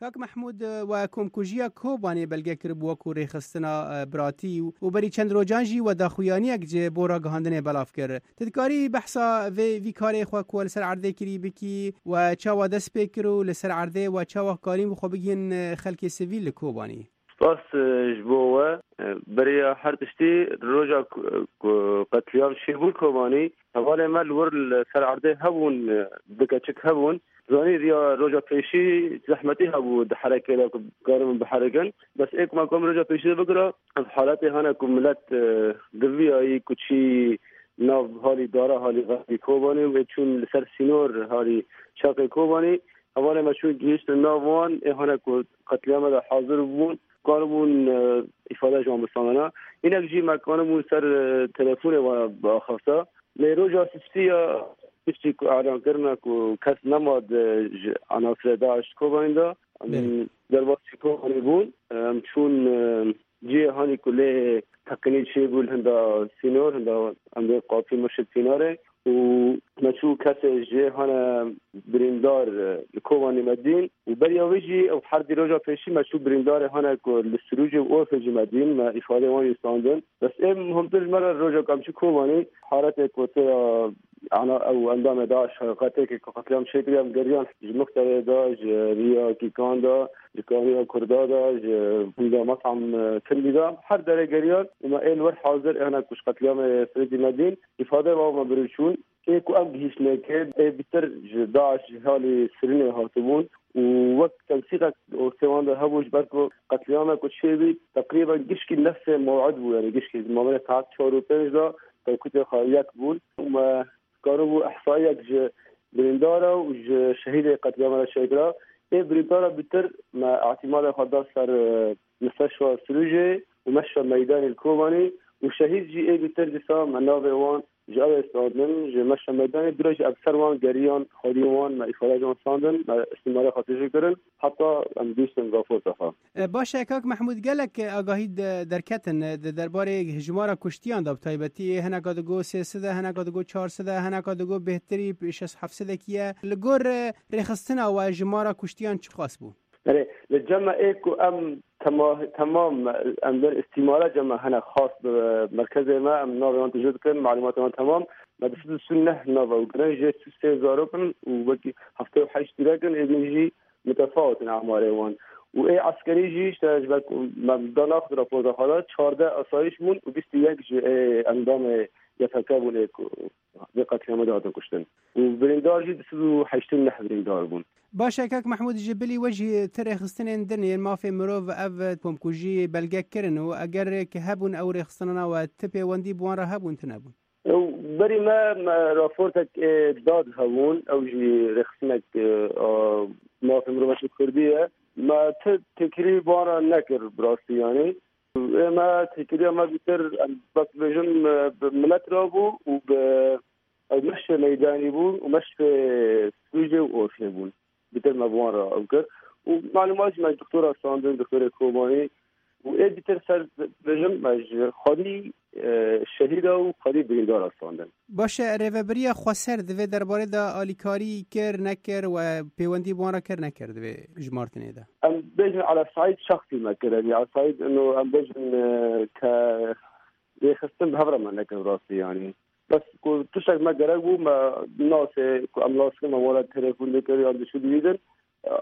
Kak Mehmûd, we komkujiya Kobanê belge kiribû wekû rêxistina, e, biratî û, û berî çend rojan jî we daxuyaniyek ji bo ragihandinê belav kir. Tu dikarî behsa vê, vî karê xwe ku we li ser erdê kirî bikî, we çawa dest pê kir û li ser erdê we çawa karîn bi xwe bigihîn, e, xelkê sivîl li Kobanî? Spas, e, ji bo we. E, beriya her tiştî roja ku, ku qetliyam çêbûn Kobanî, hevalê me li wir li ser erdê hebûn, e, du keçik hebûn. Zanî riya roja pêşî zehmetî hebû di herekê de ku bikaribin biherikin. Bes ê ku me kom roja pêşî de bikira, ev haletê hene ku milet, e, diviyayî ku çî nav halî dara halî xelkî Kobanê û ê çûn li ser sînor halî çaxê Kobanê. Hevalê me çûn gihîştin nav wan, ê hene ku qetliyame de hazir bûn, karibûn, e, îfade ji wan bistandana. Hinek jî me karibûn ser, e, telefonê wan biaxifta. Lê roja sisî ya piştî ku elan kirine ku kes nema di ji enasirê DAIŞ Kobanê de, Belê. Derbasî Kobanê bûn. Em çûn, e, cihê hanî ku lê teqînî çêbû li hinda sînor, hinda em dê qapî Mirşid Pînarê û me çû kesê jê hane birîndar, e, li Kobanê me dîn û beriya wê jî ew herdî roja pêşî me çû birîndarê hane ku li Sirûcê û Orfê jî me dîn, me îfadê wan jî standin. Bes ê muhimtir ji me re roja ku em çû Kobanê, haretê ku tê ya ana ew endamê DAIŞ heqeteke ku qetliyam çêkiriye, em geriyan ji Muxterê de, ji riya Kîkan de, ji Kaniya Kurda de, ji Hûnda Metam, e, Tindî de, her derê geriyan û me ê li wir hazir ê hene ku ji qetliyamê Sirêdî me dîn, îfade wan me birî çûn. Ê ku em gihîştinê kê, ê bîtir ji DAIŞ ji halî Sirînê hatibûn û wek tensîqek ortê wan de hebû, ji ber ku qetliyame ku çêbî, teqrîben gişkî nefsê mew'id bû, yanî gişkî mabênê saet çar û pênc de tewqîtê xwe yek bûn û me karibû ihsayiyek ji birîndara û ji şehîdê qetliyama re çêkira. Ê birîndara bîtir me îtîmada xwe da ser, e, Misteşfa Sirûcê û Meşfa Meydanê li Kobanê û şehîd jî ê bîtir dîsa me navê wan ji ew ê standin, ji Meşfa Meydanê dûre jî em ser wan geriyan, xwedî wan me îfade ji wan standin, me îstîmara xwe tijî kirin, heta em gihîştin raporta xwe. E, baş e, kak Mehmûd, gelek, e, agahî de-, derketin, e, di derbarê jimara kuştiyan de, bi taybetî hineka digo sê sed e, hineka digo çar sed e, hineka digo bêhtirî şeş heft sedekî ye. Li gor, e, rêxistina we jimara kuştiyan çiqas bû? Erê, li cem me ê ku em tema-, temam, em der îstîmara cem me hene xas bi merkezê me, em navê wan tijî dikin, malûmatê wan temam. Me du sed û sî û neh nav ew girin, jê sî û sê zarok in û wekî heftê û heşt tîrek in, ê din jî mitefawit in emarê wan. Û ê eskerî jî, işte, ji ber ku me da naxist raporda xwe de, çardeh asayîş bûn û bîst û yek ji ê endamê Y P G bûn ê ku vê qetliyamê de hatin kuştin. Û birîndar jî du sed û heştê û neh birîndar bûn. Baş e, kak Mehmûd, ji bilî we jî ti rêxistinên din yên mafê mirov ev komkujî belge kirin û eger ki hebûn ew rêxistinana we ti pêwendî bi wan re hebûn, ti nebûn? Ew berî me, me raportek ê dad hebûn, ew jî rêxistinek, e, a, mafê mirovaşê Kurdî ye. Me ti têkilî bi wan re nekir bi rastî yanî. Ê me têkiliya me bîtir, em bes bêjin, e, bi milet re bû û bi, ew meşê meydanî bû û meşê sûcê û orfê bûn. Bîtir me bi wan re ew kir. Û malûmat jî me ji doktora standin, doktorê Kobanî. Û ê bîtir ser bêjin me ji xwedî, e, şehîda û xwedî birîndara standin. Baş e, rêvebiriya xweser di vê derbarê de alîkarî kir, nekir we pêwendî bi wan re kir, nekir di vê jimartinê de? Em bêjin Ala Saîd şexsî me kir. Yanî Ala Saîd ino em bêjin, e, ke rêxistin bi hev re me nekir rastî yanî. Bes ku tiştek me gerek bû, me nasê ku em nas dikin, me were telefon dikir yan diçû dibînin,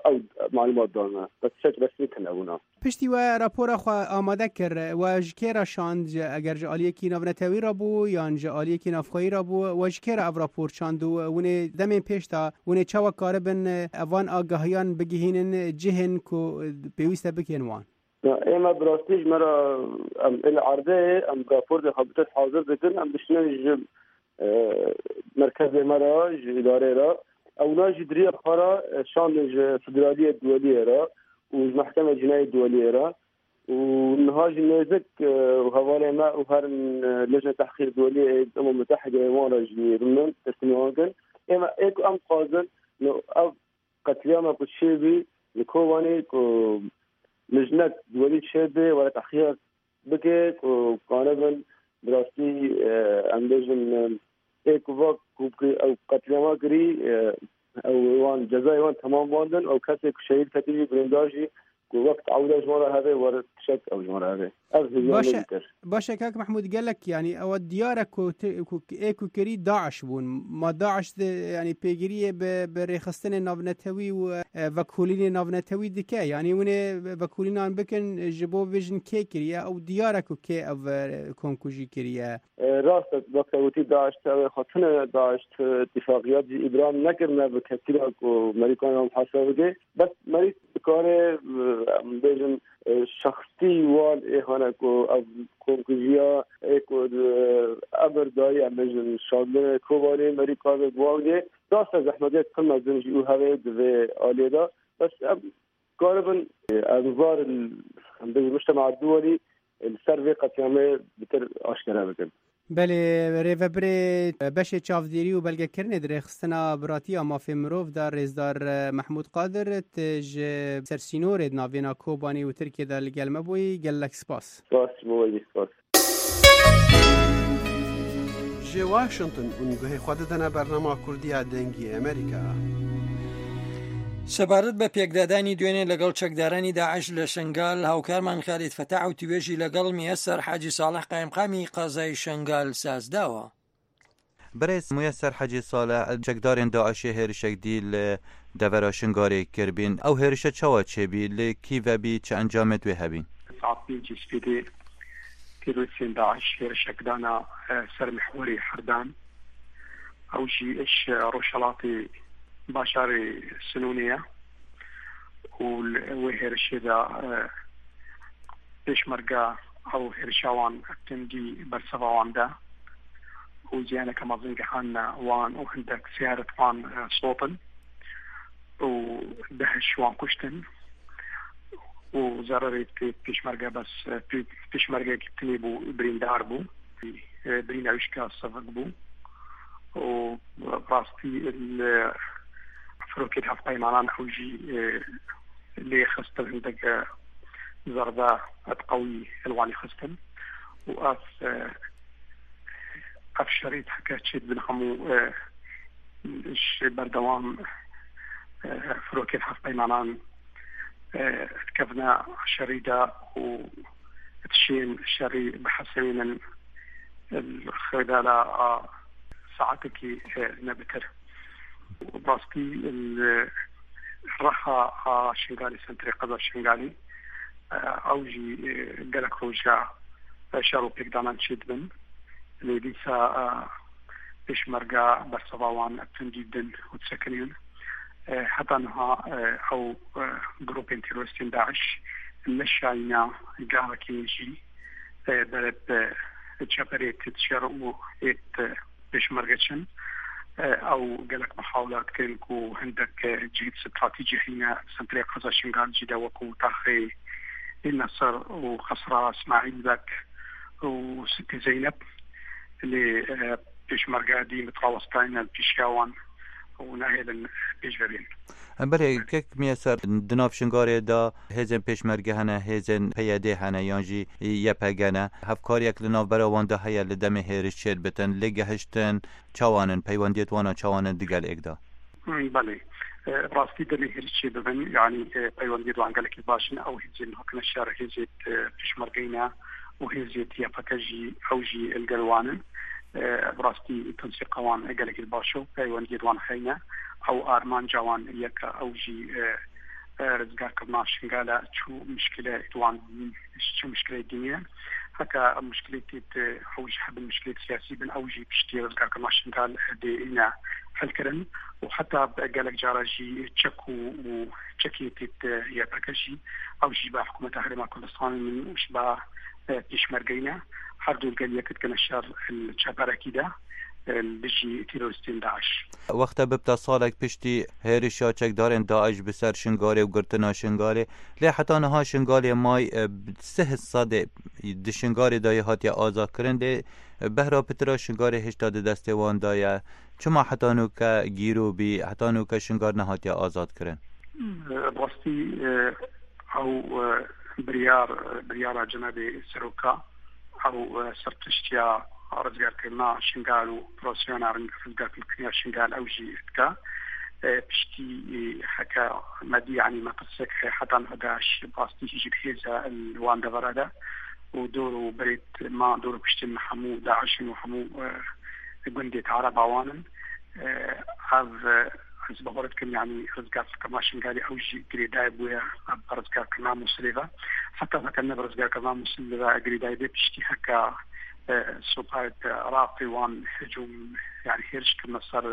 ew malûmat dan me. Bes tiştek resmî tune bûna. Piştî we rapora xwe amade kir, we ji kê re şand? Ji, eger ji aliyekî navnetewî re bû, yan ji aliyekî navxweyî re bû, we ji kê re ev rapor şand û hûn ê demên pêş de hûn ê çawa karibin evan agahiyan bigihînin cihên ku pêwîst e bikên wan? Ya, ê me bi rastî ji me re, em ê li erdê, em raportê xwe bi test hazir dikin, em dişînin ji, e, merkezê me re, ji îdarê re. Ewna jî di riya xwe re, e, şandin ji Federaliyê Duweliyê re û ji Mehkemê Cinayê Duweliyê re. Û niha jî nêzik, e, û hevalê me û herin, e, Lejne Tehqîq Duweliyê ê Umam Mutehidê wan re jî rûnin, teslîmê wan kin. Ê me, ê ku em dixwazin, no, ev qetlîama ku çêbî li Kobanê ku lijnek duwelî çêbê, were tehqîqek bike ku kanibin bi rastî, e, em bêjin, e, ê ku va ku, ku ew qetlîama kirî, e, ew wan cezayê wan temam bandin, ew kesê ku şehîd ketî jî, birîndar jî, ku wek teawuda ji wan re hebe, were tişek ew ji wan re hebe. Ev hêviya me bîtir. Baş e, kak Mehmûd, gelek, yanî, ew diyar e ku ti, ku ê ku kirî DAIŞ bûn. Ma DAIŞ di, yanî, pêgiriyê bi, bi rêxistinên navnetewî û, e, vekolînên navnetewî dike? Yanî, hûn ê vekolînan bikin, ji bo bêjin kê kiriye? Ew diyar e ku kê ev, e, komkujî kiriye. E, rast e, wek te gotî, DAIŞ, ew ê xwe tune DAIŞ, tu îtifaqiyat jî îbram nekirine bi kesî re ku Merîkan wan hesab bike. Bes merî dikare, em bêjin, e, şexsî wan ê hane ku ev komkujiya ê ku, e, emir dayî, em bêjin, şandinê Kobanê merî kar be bi wan gê. Rast e, zehmetiyek pir mezin jî û hevê di vê aliyê de. Bes em karibin, e, em var, em bêjin, mujtema duwelî, e, li ser vê qetlîamê bitir aşkere bikin. Belê, rêvebirê beşê çavdêrî û belgekirinê di rêxistina biratiya mafê mirov de, rêzdar Mehmûd Qadir, tu ji ser sînorê di navêna Kobanê û Tirkiyê de li gel me bûyî, gelek spas. Spas ji bo we jî, spas. Ji Washington hûn guhê xwe didine bernama Kurdî ya Dengî Amerîka. سەبارەت بە پێکدادانی دوێنێ لەگەڵ چەکدارانی داعش لە شنگال، هاوکارمان خالید فەتاح و توێژی لەگەڵ میەسەر حاجی ساڵح قایمقامی قەزای شنگال ساز داوە. Birêz Muyeser Hecî Saleh, çekdarên DAIŞê hêrişek dî li devera Şingalê kiribîn. Ew hêrişe çawa çêbî? Li kî vebî? Çi encamê wê hebîn? Saet pêncî spêdê terorîstên DAIŞ hêrişek dana, e, ser mihwerê Herdan. Ew jî ji rojhelatê bajarê Sinûnê ye. Û li wê hêrişê de, e, pêşmerge ew hêrişa wan tundî berseva wan de û ziyaneke mezin gihand wan û hindek seyarê wan, e, sotin û deh ji wan kuştin û zererê pê-, pêşmerge bes, e, pê-, pêşmergek tenê bû, birîndar bû. E, birîna wî jî sivik bû û rastî li firokên hevpeymanan ew jî, e, lê xistin hindek, e, zerbe qewî li wanî xistin û ev, e, ev şerî heke çê dibin hemû, e, ji berdewam, e, firokên hevpeymanan, e, dikevine şerî de û dişên şerî bihesibînin li xêdala a saetekî, e, ne bitir. Rastî li Reha a Şingalê, sentrê qeza Şingalê, e, ew jî, e, gelek roja, e, şer û pêkdanan çêdibin. Lê dîsa, e, pêşmerge berseva wan tundî didin û disekinîn. E, heta niha, e, ew, e, grûpên terorîstên DAIŞ neşayîne gavekê jî, e, berê bi çeperê têt şer û êt, e, pêşmerge çin. E, ew gelek mihawila dikin ku hindek, e, cihêt stratejî heyne sentrê qeza Şingal jî de wekû taxê Ê Nesir û Qesra Îsmaîl Bek û Sitê Zeynep. Lê, e, pêşmerge dî mitrawestayne li pêşiya wan û nahêlin pêş ve bên. Belê, kek Miyeser, di nav Şingarê de hêzên pêşmerge hene, hêzên P Y D hene yan jî Y P G ne. Hevkariyek li navbera wan de heye li demê hêriş çêdibitin, lê gehiştin çawan in, peywendiyêt wana çawan in digel êk de? Hmm, belê. E, rastî demê hêriş çêbibin, yanî, e, peywendiyêt wan gelekî baş in, ew hêzên hakine şer, hêzêt, e, pêşmergeyne û hêzêt Y P G jî, ew jî li gel wan in. E, bi rastî tensîqa wan gelekî baş e, peywendiyê wan heyne. Ew armanca wan yek e, ew jî, e, e, rizgarkirina Şingale çû mişkile wan, çû mişkilê dinê. Heke mişkilêtê te ew jî hebin mişkilêt siyasî bin, ew jî piştî rizgarkirina Şingal dê îne helkirin û heta bi gelek cara jî çek û, û çekê tê te Y P G jî, ew jî bi hikûmeta Herêma Kurdistanê min û ji ba, e, pêşmergeyne, her du li gel yek dikine şer li çeperekî de, e, li dijî terorîstên DAIŞ. Wexta bibte salek piştî hêrişa çekdarên DAIŞ bi ser Şingalê û girtina Şingalê, lê heta niha Şingalê may, e, sih sedê di Şingalê de yê hatiye azadkirin, lê behra pitira Şingalê hêşta di destê wan de ye. Çima heta nûke gîro bî, heta nûke Şingal nehatiye azadkirin? Rastî, e, ew, e, biryar, biryara cenabê seroka, ew, e, serpiştiya rizgarkirina Şingal û operasyona rizgarkirina Şingal ew jî dike. E, piştî, e, heke me dî, yanî metirsek heta niha DAIŞ rastî jî dihêze li wan devera de û dor û berê ma dor û piştên me hemû DAIŞ in û hemû, e, gundê Araba wan in. E, ev, e, ez bawer dikim, yanî rizgarkirina Şingalê ew jî girêdayî bûye bi rizgarkirina Mûsilê ve. Heta heke ne bi rizgarkirina Mûsilê ve girêdayî bê, piştî heke, e, supayê Iraqê wan hicûm, yanî hêriş kirine ser,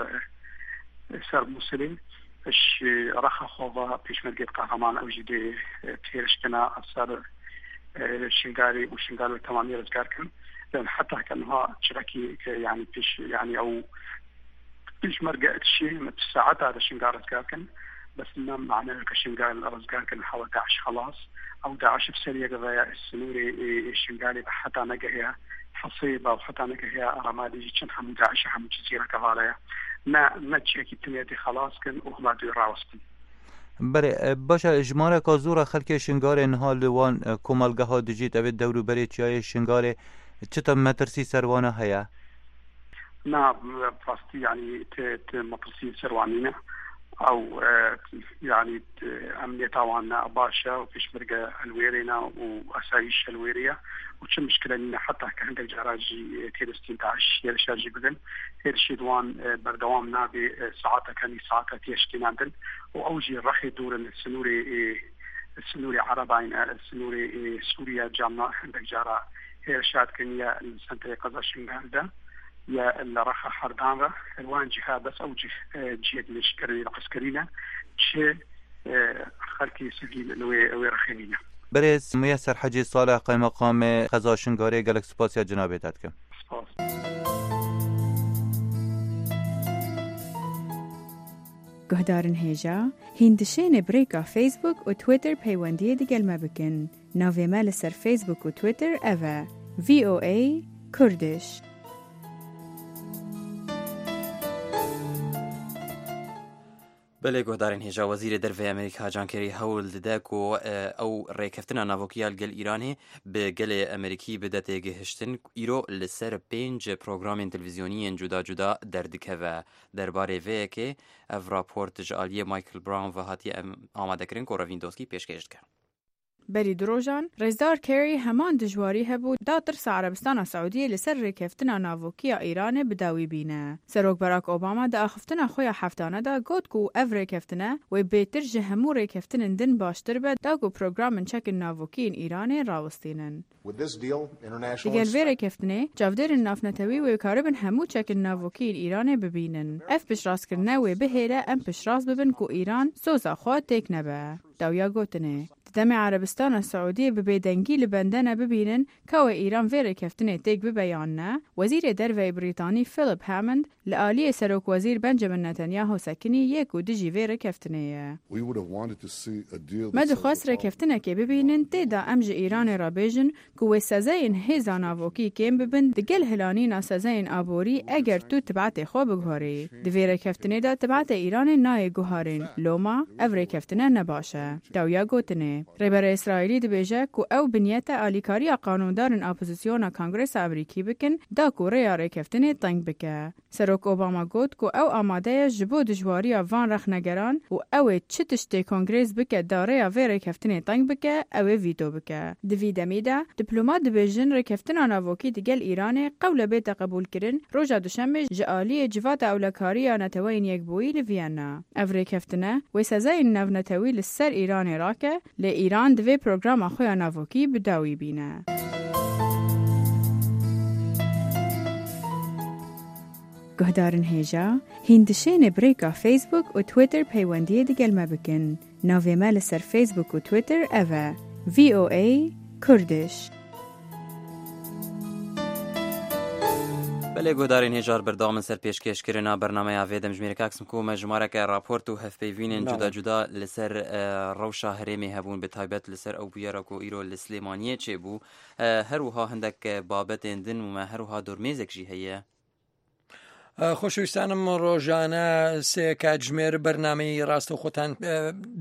e, ser Mûsilê. Ji rexa xwe ve pêşmergê Qehreman ew jî dê, e, hêriş kine ser, e, Şingalê û Şingal bi temamî rizgar kin. Lê heta heke niha çirekî, e, yanî pêş, yanî ew pêşmerge dişê me tu saeta de Şingal rizgar kin. Bes ne mane ke Şingal rizgar kin hewa DAIŞ xelas. Ew DAIŞ bi ser yek ve ye, sînorê, e, e, Şingalê ve heta negehiye Hesê ve û heta negehiye Remalê jî çend hemû DAIŞ hemû Cizîre kevale ye. Ne, ne çiyekî dinya dê xelas kin û hema dê rawestin. Belê, e, baş e, jimareka zor e xelkê Şingalê niha li wan, e, komelgeha dijît, ev ê dewr û berê çiyayê Şingalê, çi te metirsî ser wana heye? Na, rastî, yanî, ti, ti metirsî ser wan nîne. Ew, e, yanî, ti, emniyeta wan ne baş e û pêşmerge li wêrê ne û asayîş li wêrê ye û çi mişkile nîne. Heta ke hindek cara jî, e, terorîstên DAIŞ hêrişa jî bikin, hêrişê di wan, e, berdewam nabe, e, saeteke nî saeteke tê şikînandin û ew jî rexê dûr in, sînorê, e, sînorê Erebayî ne, sînorê, e, Sûriye camna hindek cara hêrişa dikin ya li sentrê qeza Şingal de ya li rexa herdan re. Li wan cîha bes ew cih, e, cihê dilêşkirinê li eskerî ne, çi, e, xelkê sivîl li wê, wê rexê nîne. Berêz Muyeser Hecî Salih, Qeymeqamê Qeza Şingalê, gelek spasiya cenabê te dikim. Spas. Guhdarên hêja, hîn dişêne birêka Facebook û Twitter peywendiyê digel me bikin. Navê me li ser Facebook û Twitter ev e, V O A Kurdish. Belê guhdarên hêja, Wezîrê Derve yê Amerîka John Kerry hewl dide ku, e, ew rêkeftina navokî ya li gel Îranê bi gelê Amerîkî bide têgihiştin. Îro li ser pênc programên televîzyonî yên cuda cuda derdikeve. Derbarê vê yekê ev raport ji aliyê Michael Brown ve hatiye em-, amadekirin ku Revîn Doskî pêşkêş dike. Berî du rojan, Rêzdar Kerry heman dijwarî hebû da tirsa Erebistana Siûdiyê li ser rêkeftina navokî ya Îranê bi dawî bîne. Serok Barack Obama di axiftina xwe ya heftane de got ku ev rêkeftine wê bêtir ji hemû rêkeftinên din baştir be da ku programên çekên navokî yên Îranê rawistînin. Digel vê rêkeftinê, çavdêrên navnetewî wê karibin hemû çekên navokî yên Îranê bibînin. Ev piştrastkirine wê bihêle em piştrast bibin ku Îran soza xwe têk nebe. Dawiya gotinê, di demê Erebistana Siûdiyê bi bêdengî li bendene bibînin ka wê Îran vê rêkeftinê têk bibe yan ne, Wezîrê Derve yê Brîtanî Philip Hammond li aliyê Serokwezîr Benjamin Netanyahu sekinî yê ku dijî vê rêkeftinê ye. We would have wanted to see a deal Me dixwest rêkeftinekê bibînin, tê de em ji Îranê re bêjin ku wê sezeyên hêza navokî kêm bibin, digel hilanîna sezeyên aborî eger tu tibetê xwe biguherî. Di vê rêkeftinê de tibetê Îranê nayê guharîn. Loma, ev rêkeftine ne baş e. Dawiya gotinê. Rêberê Îsraîlî dibêje ku ew bi niyete alîkariya qanûndarên opozisyona Kongresa Amerîkî bikin, da ku rêya rêkeftinê teng bike. Serok Obama got ku ew amade ye ji bo dijwariya van rexnegeran û ew ê çi tiştê Kongrês bike da rêya vê rêkeftinê teng bike, ew ê vîto bike. Di vî demî de, diplomat dibêjin rêkeftina navokî digel Îranê qewle bête qebûlkirin, roja duşemê ji aliyê Civata Ewlekariya Neteweyên Yekbûyî li Viyana. Ev rêkeftine wê sezayên navnetewî li ser Îranê rake, lê Îran divê programa xwe ya navokî bi dawî bîne. Guhdarên hêja, hîn dişêne birêka Facebook û Twitter peywendiyê digel me bikin. Navê me li ser Facebook û Twitter ev e, V O A Kurdish. Belê guhdarên hêjar, berdewam in ser pêşkêşkirina bernameya vê demjimêrê. Kak Simko, me jimareke raport û hevpeyvînên Belê. cuda cuda li ser, e, rewşa herêmê hebûn, bi taybet li ser ew bûyera ku îro li Silêmaniyê çêbû. E, her wiha hindek, e, babetên din û me her wiha dormêzek jî heye. Xweşewîstanê min, rojane sê کاتژمێر بەرنامەی ڕاستەوخۆتان،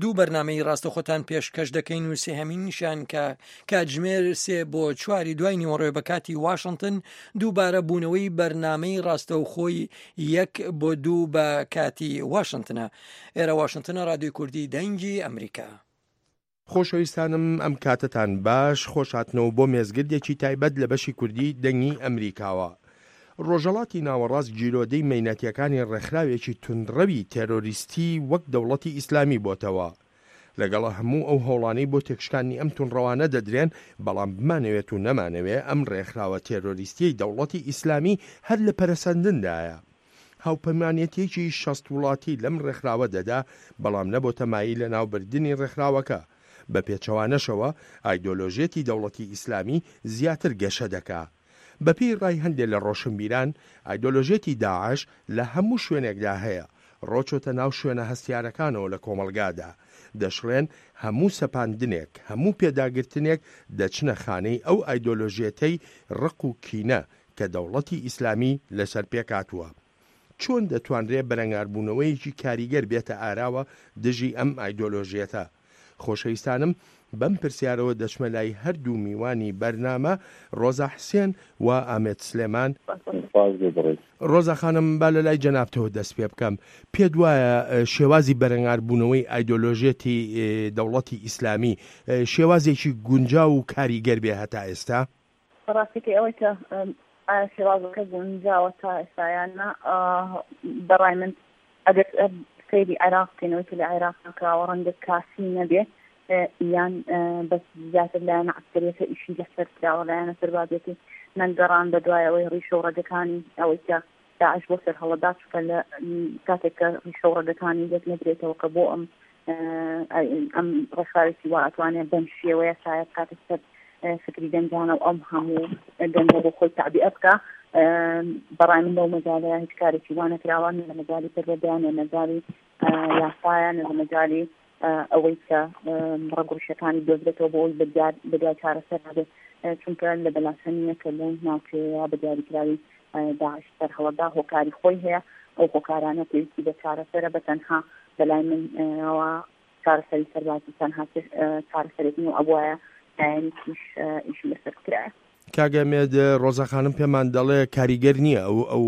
دوو بەرنامەی ڕاستەوخۆتان پێشکەش دەکەین و سێهەمینیشیان کە کاتژمێر سێ بۆ چواری دوای نیوەڕۆ بە کاتی واشنگتن، دووبارە بوونەوەی بەرنامەی ڕاستەوخۆی یەک بۆ دوو بە کاتی واشنگتنە. ئێرە واشنگتنە، ڕادیۆی کوردی دەنگی ئەمریکا. خۆشەویستانم، ئەم کاتتان باش، خۆش هاتنەوە بۆ مێزگردێکی تایبەت لە بەشی کوردی دەنگی ئەمریکاوە. ڕۆژهەڵاتی ناوەڕاست گیرۆدەی مەینەتیەکانی ڕێکخراوێکی توندڕەوی تێرۆریستی وەک دەوڵەتی ئیسلامی بۆتەوە. لەگەڵ هەموو ئەو هەوڵانەی بۆ تێکشکانی ئەم توندڕەوانە دەدرێن، بەڵام بمانەوێت و نەمانەوێ، ئەم ڕێکخراوە تێرۆریستیەی دەوڵەتی ئیسلامی هەر لە پەرەسەندندایە. هاوپەیمانێتیەکی شەست وڵاتی لەم ڕێکخراوە دەدا، بەڵام نەبۆتە مایل لە ناوبردنی ڕێکخراوەکە. بە پێچەوانەشەوە، ئایدۆلۆژیەتی دەوڵەتی ئیسلامی زیاتر گەشە دەکا. بە پێی ڕای هەندێک لە ڕۆشنبیران، ئایدۆلۆژیەتی داعش لە هەموو شوێنێکدا هەیە، ڕۆچۆتە ناو شوێنە هەستیارەکانەوە لە کۆمەڵگادا. دەشڵێن هەموو سەپاندنێک، هەموو پێداگرتنێک دەچنە خانەی ئەو ئایدۆلۆژیەتەی ڕق و کینە کە دەوڵەتی ئیسلامی لەسەر پێکاتووە. چۆن دەتوانرێ بەرەنگاربوونەوەیەکی کاریگەر بێتە ئاراوە دژی ئەم ئایدۆلۆژیەتە؟ خۆشەویستانم، بەم پرسیارەوە دەچمە لای هەردوو میوانی بەرنامە، ڕۆزا حسێن و ئامێد سلێمان. ڕۆزا خانم، با لە لای جەنابتەوە دەست پێ بکەم. پێت وایە، ئە، شێوازی بەرەنگاربوونەوەی ئایدۆلۆژیەتی، ئێ، دەوڵەتی ئیسلامی، ئێ، شێوازێکی گونجاو و کاریگەر بێ هەتا ئێستا؟ بەڕاستیکەی ئەوەی کە، ئەم، ئایا شێوازەکە گونجاوە تا ئێستا یان نا، ئا، بەڕای من ئەگەر، ئە، سەیری عێراق بکەینەوەی کە لە عێراق کراوە ڕەنگە کافی نەبێ، ئە، یان، ئە، بەس زیاتر لایەنە عەسکەریەکە ئیشی لەسەر کراوە، لایەنە سەربازیەکەی نەگەڕان بە دوای ئەوەی ڕیشە و ڕەگەکانی ئەوەی کە داعش بۆ سەرهەڵەدا چووکە لە، کاتێک کە ڕیشە و ڕەگەکانی لێک نەدرێتەوە کە بۆ ئەم، ئە، ئەم ڕێکخراوێکی وا ئەتوانێت بەم شێوەیە شاید کاتێک سەر، ئە، فکری گەنجانە و ئەم هەموو گەنجە بۆ خۆی تەعبیە بکا. ئە، بەڕای من لەو مەجالەیە هیچ کارێکی وا نەکراوە، نە لە مەجالی پەروەردەیە، نە مەجالی، ئە، یاسایە، نە لە مەجالی، ئە، ئەوەی کە، ئە، ڕەگوڕیشەکانی دۆزرێتەوە بۆ ئەوی بە دیار-، بە دوای چارەسەر بێت. ئە، چونکە لە بەلاسە نییە کە لەو ناوچەیە بە دیاریکراوی، ئە، داعش سەرهەڵەدا هۆکاری خۆی هەیە. ئەو هۆکارانە پێویستی بە چارەسەرە، بە تەنها بەلای من، ئەوە چارەسەری سەربازی تەنها چ-، ئە، چارەسەرێک نییە و ئەبوایە لایەنێکیش، ئە، ئیشی لەسەر بکرایە. کاگە مێد، ڕۆزا خانم پێمان دەڵێ کاریگەر نییە ئەو، ئەو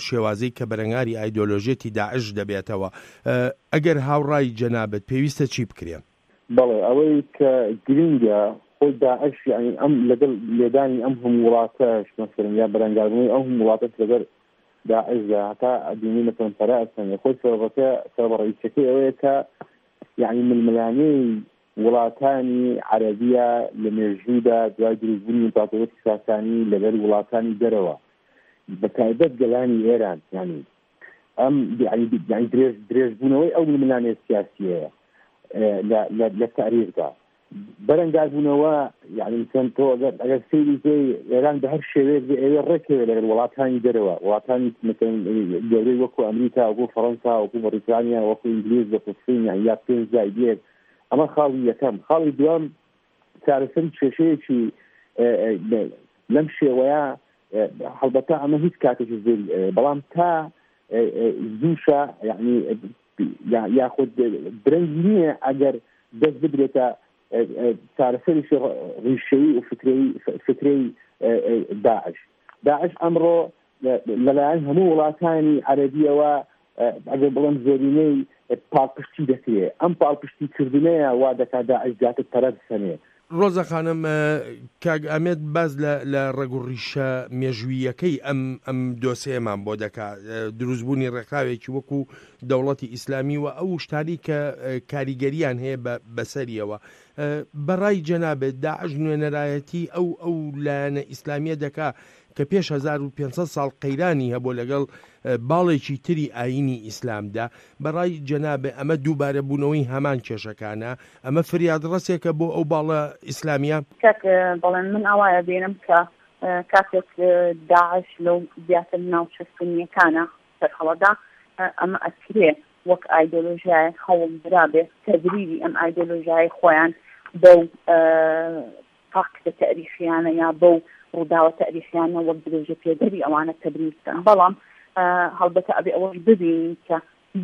شێوازەی کە بەرەنگاری ئایدۆلۆژیەتی داعش دەبێتەوە. ئە، ئەگەر هاوڕای جەنابەت پێویستە چی بکرێ؟ بەڵێ، ئەوەی کە گرنگە، خۆی داعش، یعنی، ئەم لەگەڵ لێدانی ئەم هەموو وڵاتەش، مەسەلەن، یا بەرەنگاربوونەوەی ئەم هەموو وڵاتەش لەگەڵ داعشدا، هەتا ئەدینی، مەسەلەن، پەرە ئەسەنێ. خۆی سەبەبەکە، سەبەبە ڕئیسەکەی ئەوەیە کە، یعنی، ململانەی وڵاتانی عەرەبیە لە مێژوودا، دوای دروستبوونی ئیمپراتۆریەتی ساسانی لەگەڵ وڵاتانی دەرەوە، بە تایبەت گەلانی ئێران، یعنی، ئەم، یعنی، یعنی، درێژ-، درێژبوونەوەی ئەو ململانێ سیاسیەیە، ئە، لە، لە، لە تاریخدا. بەرەنگاربوونەوە، یعنی، چەند تۆ ئەگەر، ئەگەر سەیری بکەی، ئێران بە هەر شێوەیەک بێ ئەوێ ڕێکەوێ لەگەڵ وڵاتانی دەرەوە، وڵاتانی، مەسەلەن، گەورەی وەکو ئەمریکا، وەکو فەڕەنسا، وەکو بەریتانیا، وەکو ئینگلیز، وەکو چین، یعنی، یا پێنج زایدیەک. ئەمە خاڵی یەکەم. خاڵی دووەم، چارەسەری کێشەیەکی، ئە، ئە، لە، لەم شێوەیە، ئە، هەڵبەتە ئەمە هیچ کاتێکی زۆر، ئە، بەڵام تا، ئە، ئە، زووشە، یعنی، ئە، یا-، یاخود درەنگ نییە ئەگەر دەست بدرێتە، ئە، ئە، چارەسەرێکی ڕ-، ڕیشەیی و فکرەی، ف-، فکرەی، ئە، ئە، داعش. داعش ئەمڕۆ، ئە، لەلایەن هەموو وڵاتانی عەرەبیەوە، ئە، ئەگەر بڵێم زۆرینەی، ئە، پاڵپشتی دەکرێ. ئەم پاڵپشتی کردنەیە وا دەکات داعش زیاتر پەرە بسەنێ. ڕۆزا خانم، ئە، کاک ئامێد باز لە، لە ڕەگ و ڕیشە مێژوویەکەی ئەم، ئەم دۆسەیەمان بۆ دەکا، ئە، دروستبوونی ڕێکخراوێکی وەکو دەوڵەتی ئیسلامی و ئەو شتانی کە، ئە، کاریگەریان هەیە بە، بەسەریەوە. ئە، بەڕای جەنابێت داعش نوێنەرایەتی ئەو، ئەو لایەنە ئیسلامیە دەکا کە پێش هەزار و پێنج سەد ساڵ قەیرانی هەبوو لەگەڵ، ئە، باڵێکی تری ئاینی ئیسلامدا. بەڕای جەنابێ ئەمە دووبارە بوونەوەی هەمان کێشەکانە؟ ئەمە فریادڕەسێکە بۆ ئەو باڵە ئیسلامیە؟ کاک، ئە، بەڵێن من ئاوایە بینم کە، ئە، کاتێک، ئە، داعش لەو زیاتر ناوچە سونیەکانە سەرهەڵەدا، ئە، ئەمە ئەکرێ وەک ئایدۆلۆژیایەک هەوڵ درابێ تەبریری ئەم ئایدۆلۆژیای خۆیان بەو، ئە، فاکتە تاریخیانە یا بەو ڕووداوە تاریخیانە وەک درێژە پێدەری ئەوانە تەبریر بکەن. بەڵام، ئە، هەڵبەتە ئەبێ ئەوەش ببینین کە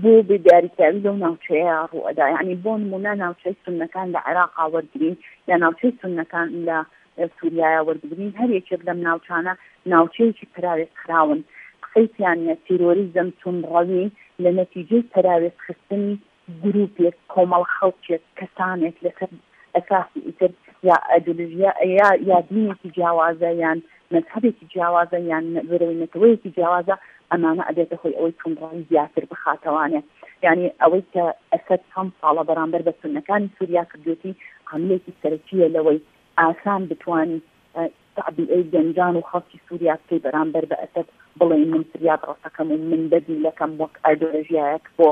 بۆ بێداریکراوی لەو ناوچەیە ڕوو ئەدا. یعنی، بۆ نمونە، ناوچەی سوننەکان لە عێراقا وەرگرین یا ناوچەی سوننەکان لە، ئە، سووریایە وەربگرین، هەر یەکێک لەم ناوچانە ناوچەیەکی پەراوێز خراون. قسەی تیانە تیرۆریزم، توندڕەوی لە نەتیجەی پەراوێز خستنی گروپێک، کۆمەڵ خەڵکێک، کەسانێک لەسەر ئەساسی ئیتر یا ئایدۆلۆژیا یا، یا دینێکی جیاوازە یان مەزهەبێکی جیاوازە یان نە-، بەرەوەی نەتەوەیەکی جیاوازە، ئەمانە ئەبێتە هۆی ئەوەی توندڕەوی زیاتر بخاتەوانێ. یعنی، ئەوەی کە ئەسەد چەند ساڵە بەرامبەر بە سوننەکانی سووریا کردوێتی، عاملێکی سەرەکیە لەوەی ئاسان بتوانی، ئە، تەعبیەی گەنجان و خەڵکی سووریا بکەی بەرامبەر بە ئەسەد، بڵێ من فریاد ڕەسەکەم و من بەدیلەکەم وەک ئایدۆلۆژیایەک بۆ،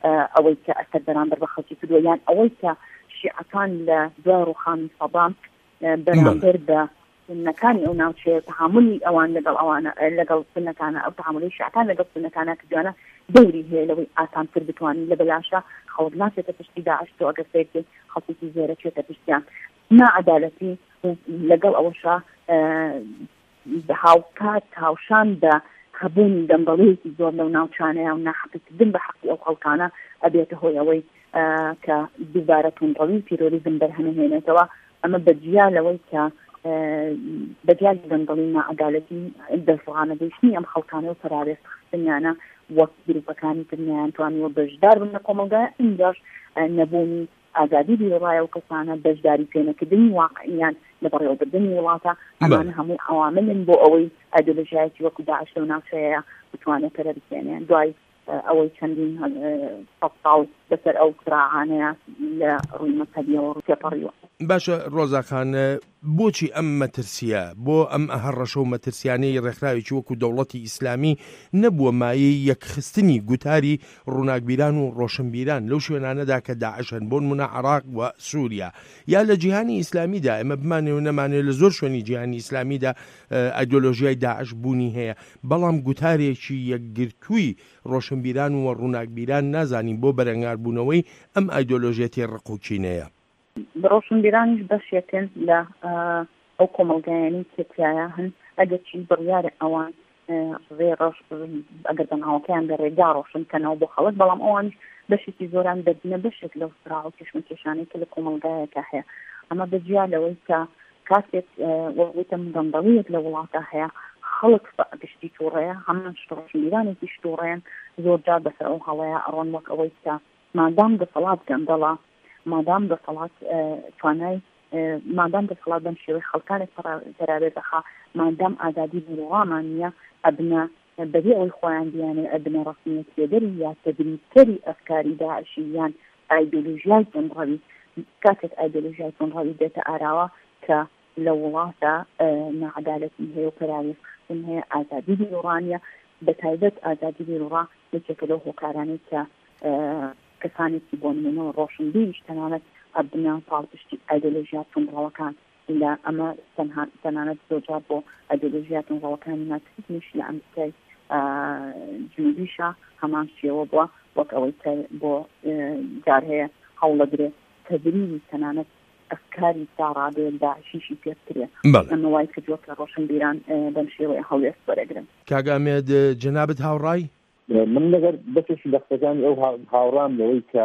ئە، ئەوەی کە ئەسەد بەرامبەر بە خەڵکی کردووە، یان ئەوەی کە شیعەکان لە دوای ڕووخانی سەدام، ئە، بەرامبەر بە سوننەکانی ئەو ناوچەیە، تەعاملی ئەوان لەگەڵ ئەوانە، ئە، لەگەڵ سوننەکانە، ئەو تەعاملی شیعەکان لەگەڵ سوننەکانە کردوانە، دەوری هەیە لەوەی ئاسانتر بتوانین لە بەلاشە خەڵک ناچێتە پشتی داعش، تۆ ئەگەر سەیرکەی خەڵکێکی زۆرە چێتە پشتیان. ناعەدالەتی و لەگەڵ ئەوەشا، ئە، هاوکات هاوشان بە هەبوونی گەندەڵیەکی زۆر لەو ناوچانەیە و ناحەقیکردن بە حەقی ئەو خەڵکانە ئەبێتە هۆی ئەوەی، ئە، کە دووبارە توندڕەوی و تیرۆریزم بەرهەمەهێنێتەوە. ئەمە بەجیا لەوەی کە، ئە، بەجیا لە گەندەڵی و ناعەدالەتی دەست ڕانەگەیشتنی ئەم خەڵکانە و پەراوێز خستنیانە وەک گروپەکانی تر نیان توانیوە بەشدار بن لە کۆمەڵگای ئینجاش، ئە، نەبوونی ئازادی بیرەڕای ئەو کەسانە، بەشداری پێنەکردنی واقعیان لە بەڕێوەبردنی وڵاتە، ئەمانە هەموو عەواملن بۆ ئەوەی ئایدۆلۆژیایەکی وەکو داعش لەو ناوچەیە بتوانێت پەرە بکێنێ. دوای، ئە، ئەوەی چەندین، ئە، سەد ساڵ بەسەر ئەو سراعانەیە لە ڕووی مەزهەبیەوە ڕوو تێپەڕیوە. باشە، ڕۆزاخان، بۆچی ئەم مەترسیە، بۆ ئەم هەڕەشە و مەترسیانەی ڕێکخراوێکی وەکو دەوڵەتی ئیسلامی نەبووە مایەی یەکخستنی گوتاری ڕووناکبیران و ڕۆشنبیران لەو شوێنانەدا کە داعشن، بۆ نمونە عێراق و سووریا، یا لە جیهانی ئیسلامیدا، ئێمە بمانێ و نەمانێ، لە زۆر شوێنی جیهانی ئیسلامیدا، ئە، ئایدۆلۆژیای داعش بوونی هەیە، بەڵام گوتارێکی یەکگرتووی ڕۆشنبیران و ڕووناکبیران نازانین بۆ بەرەنگاربوونەوەی ئەم ئایدۆلۆژیەتی ڕقوکینەیە. ڕۆشنبیرانیش بەشێکن لە، ئە، ئەو کۆمەڵگایانی کە تیایە هەن، ئەگەرچی بڕیارە ئەوان، ئە، ڕێ ڕەش-، ئەگەر بەناوەکەیان بە ڕێگا ڕۆشن کەنەوە بۆ خەڵک، بەڵام ئەوانیش بەشێکی زۆران دەبنە بەشێک لەو سراع و کێشمەکێشانەی کە لە کۆمەڵگایەکە هەیە. ئەمە بەجیا لەوەی کە کاتێک، ئە، وەک وتم، گەندەڵیەک لە وڵاتە هەیە، خەڵک پشتی تووڕەیە، هەمان شت ڕۆشنبیرانێکی تووڕەیەن، زۆر جار بەسەر ئەو هەڵەیە ئەڕۆن، وەک ئەوەی کە مادام دەسەڵات گەندەڵە، مادام دەسەڵات، ئە، توانای، ئە، مادام دەسەڵات بەم شێوەی خەڵکانێک پەرا-، پەراوێ دەخا، مادام ئازادی بیروڕامان نییە، ئەبنە بەبێ ئەوەی خۆیان بیانێ ئەبنە ڕەسمیەتپێدەری یا تەبریزکەری ئەفکاری داعشی یان ئایدۆلۆژیای تونڕەوی. کاتێک ئایدۆلۆژیای تونڕەوی دێتە ئاراوە کە لە وڵاتە، ئە، نەعەدالەتی هەیە و پەراوێز خستن هەیە، ئازادی بیروڕانیە، بە تایبەت ئازادی بیروڕا یەکێکە لەو هۆکارانەی کە، ئە، کەسانێکی بۆ نمونەوە ڕۆشنبیریش تەنانەت ئەبنە پاڵپشتی ئایدۆلۆژیا تونڕەوەکان. لە ئەمە تەنها، تەنانەت زۆرجار بۆ ئایدۆلۆژیا تونڕەوەکانی مارکسیزمیش لە ئەمریکای، ئە، جنوبیشە هەمان شێوە بووە، وەک ئەوەی کە بۆ، ئە، جار هەیە هەوڵەدرێ تەبریزی تەنانەت ئەفکاری ساڕادێ داعشیشی پێ بکرێ. بەڵێ. ئەمە وای کردووە کە ڕۆشنبیران، ئە، بەم شێوەیە هەڵوێست وەرەگرن. کاک ئامێد، جەنابت هاوڕای؟ من لەگەر بەشێکی لە قسەکانی ئەو هاو-، هاوڕام لەوەی کە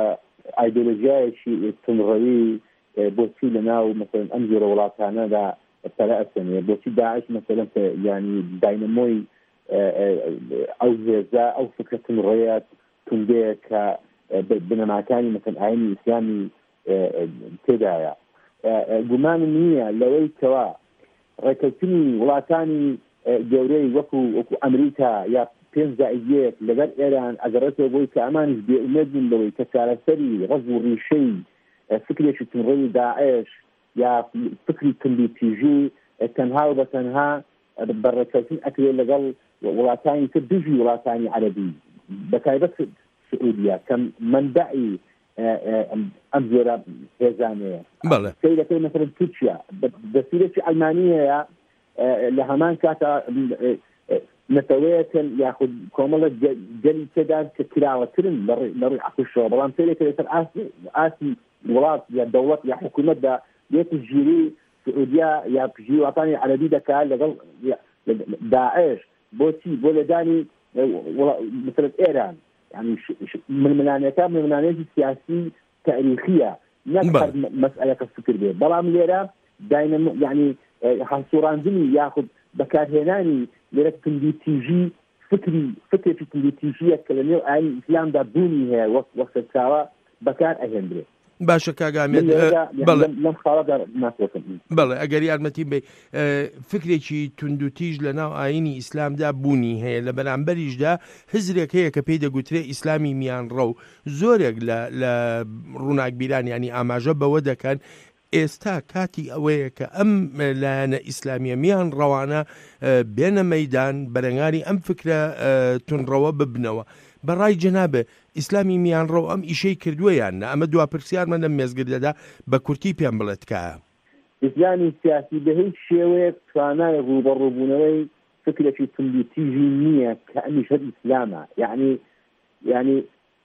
ئایدۆلۆژیایەکی تونڕەوی، ئە، بۆچی لە ناو، مەسەلەن، ئەم جۆرە وڵاتانەدا پەرە ئەسەنێ؟ بۆچی داعش، مەسەلەن، کە، یعنی، داینەمۆی، ئە، ئە، ئەو هێزە، ئەو فکرە تونڕەیە، توندەیە کە، ئە، بە-، بنەماکانی، مەسەلەن، ئاینی ئیسلامی، ئە، ئە، تێدایە؟ ئە، ئە، گومانم نییە لەوەی کەوا ڕێکەوتنی وڵاتانی، ئە، گەورەی وەکو، وەکو ئەمریکا یا پێنج زائید یەک لەگەر ئێران ئەگەڕێتەوە بۆی کە ئەمانیش بێئومێد بوون لەوەی کە چارەسەری ڕەگ و ڕیشەی، ئە، فکرێکی تونڕەوی داعش یا فکری توندوتیژی، ئە، تەنها و بە تەنها، ئە، بە ڕێکەوتن ئەکرێت لەگەڵ وڵاتانی تر دژی وڵاتانی عەرەبی، بە تایبەت سعودیە کە منبعی، ئە، ئە، ئەم، ئەم جۆرە هێزانەیە. بەڵێ. سەیرەکەی مەسەلەن تورکیا، بە-، دەستورێکی ئەلمانی هەیە، ئە، لە هەمان کاتا، ئە، ئە، نەتەوەیەکن یاخود کۆمەڵە گە-، گەلی تێدان کە کراوەترن لە ڕێ-، لە ڕووی عەقڵشەوە، بەڵام سەیرەکە لەسەر ئاستی، ئاستی وڵات یا دەوڵەت یا حکوومەتدا لێ پشتگیری سعودیا یا پشتگیری وڵاتانی عەرەبی دەکات لەگەڵ، یا، داعش. بۆچی؟ بۆ لێدانی، ئە، وڵا-، مەسەلەن ئێران. یعنی ش-، ش-، ململانێکە، ململانێکی سیاسی تاریخیە، نەک بەڵێ. هەر مە-، مەسئلەکە فکر بێ. بەڵام لێرە داینەمۆ-، یعنی، ئە، هەڵسوڕاندنی یاخود بەکارهێنانی لێرە توندوتیژی فکری، فکرێکی توندوتیژیە کە لە نێو ئاینی ئیسلامدا بوونی هەیە، وەک، وەک سەرچاوە بەکار ئەهێنرێت. باشە کاک ئامێد، من لێرەدا، ئە، یعنی بەڵێ. لەم، لەم خاڵەدا ناتوانم. بەڵێ، ئەگەر یارمەتیم بی، ئە، فکرێکی توندوتیژ لە ناو ئاینی ئیسلامدا بوونی هەیە، لە بەرامبەریشدا هزرێک هەیە کە پێی دەگوترێ ئیسلامی میانڕەو. زۆرێک لە، لە ڕووناکبیران، یعنی، ئاماژە بەوە دەکەن ئێستا کاتی ئەوەیە کە ئەم لایەنە ئیسلامیە میانڕەوانە، ئە، بێنە مەیدان، بەرەنگاری ئەم فکرە، ئە، تونڕەوە ببنەوە. بەڕای جەنابێ، ئیسلامی میانڕەو ئەم ئیشەی کردووە یان نە؟ ئەمە دوا پرسیارمە لەم مێزگردەدا، بە کورتی پێم بڵێ تکایە. ئیسلامی سیاسی بە هیچ شێوەیەک توانای ڕوبەڕووبوونەوەی فکرێکی توندوتیژی نییە کە ئەمیش هەر ئیسلامە. یعنی، یعنی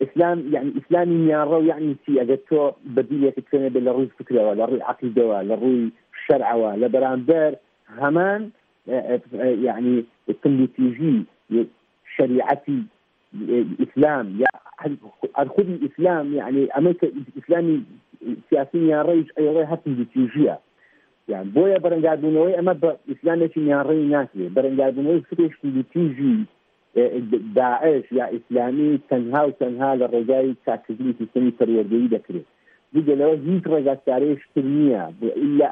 ئیسلام، یعنی ئیسلامی میانڕەو یعنی چی؟ ئەگەر تۆ بەدیلێکت بکەنێ بێ لە ڕووی فکرەوە، لە ڕووی عەقیدەوە، لە ڕووی شەرعەوە، لە بەرامبەر هەمان، ئە، ئە، ئە، یعنی توندوتیژی شەریعەتی ئیسلام یا هەر، هەر خودی ئیسلام، یعنی ئەمەی کە ئیسلامی سیاسی میانڕەویش ئەیڵێ هەر توندوتیژیە. یعنی بۆیە بەرەنگاربوونەوەی ئەمە بە ئیسلامێکی میانڕەوی ناکرێت. بەرەنگاربوونەوەی فکرێکی توندوتیژی، ئێ، داعش یا ئیسلامی تەنها و تەنها لە ڕێگای چاککردنی سیستەمی پەروەردەیی دەکرێت. جگە لەوە هیچ ڕێگا چارەیەکی تر نییە. بۆ ئیلا،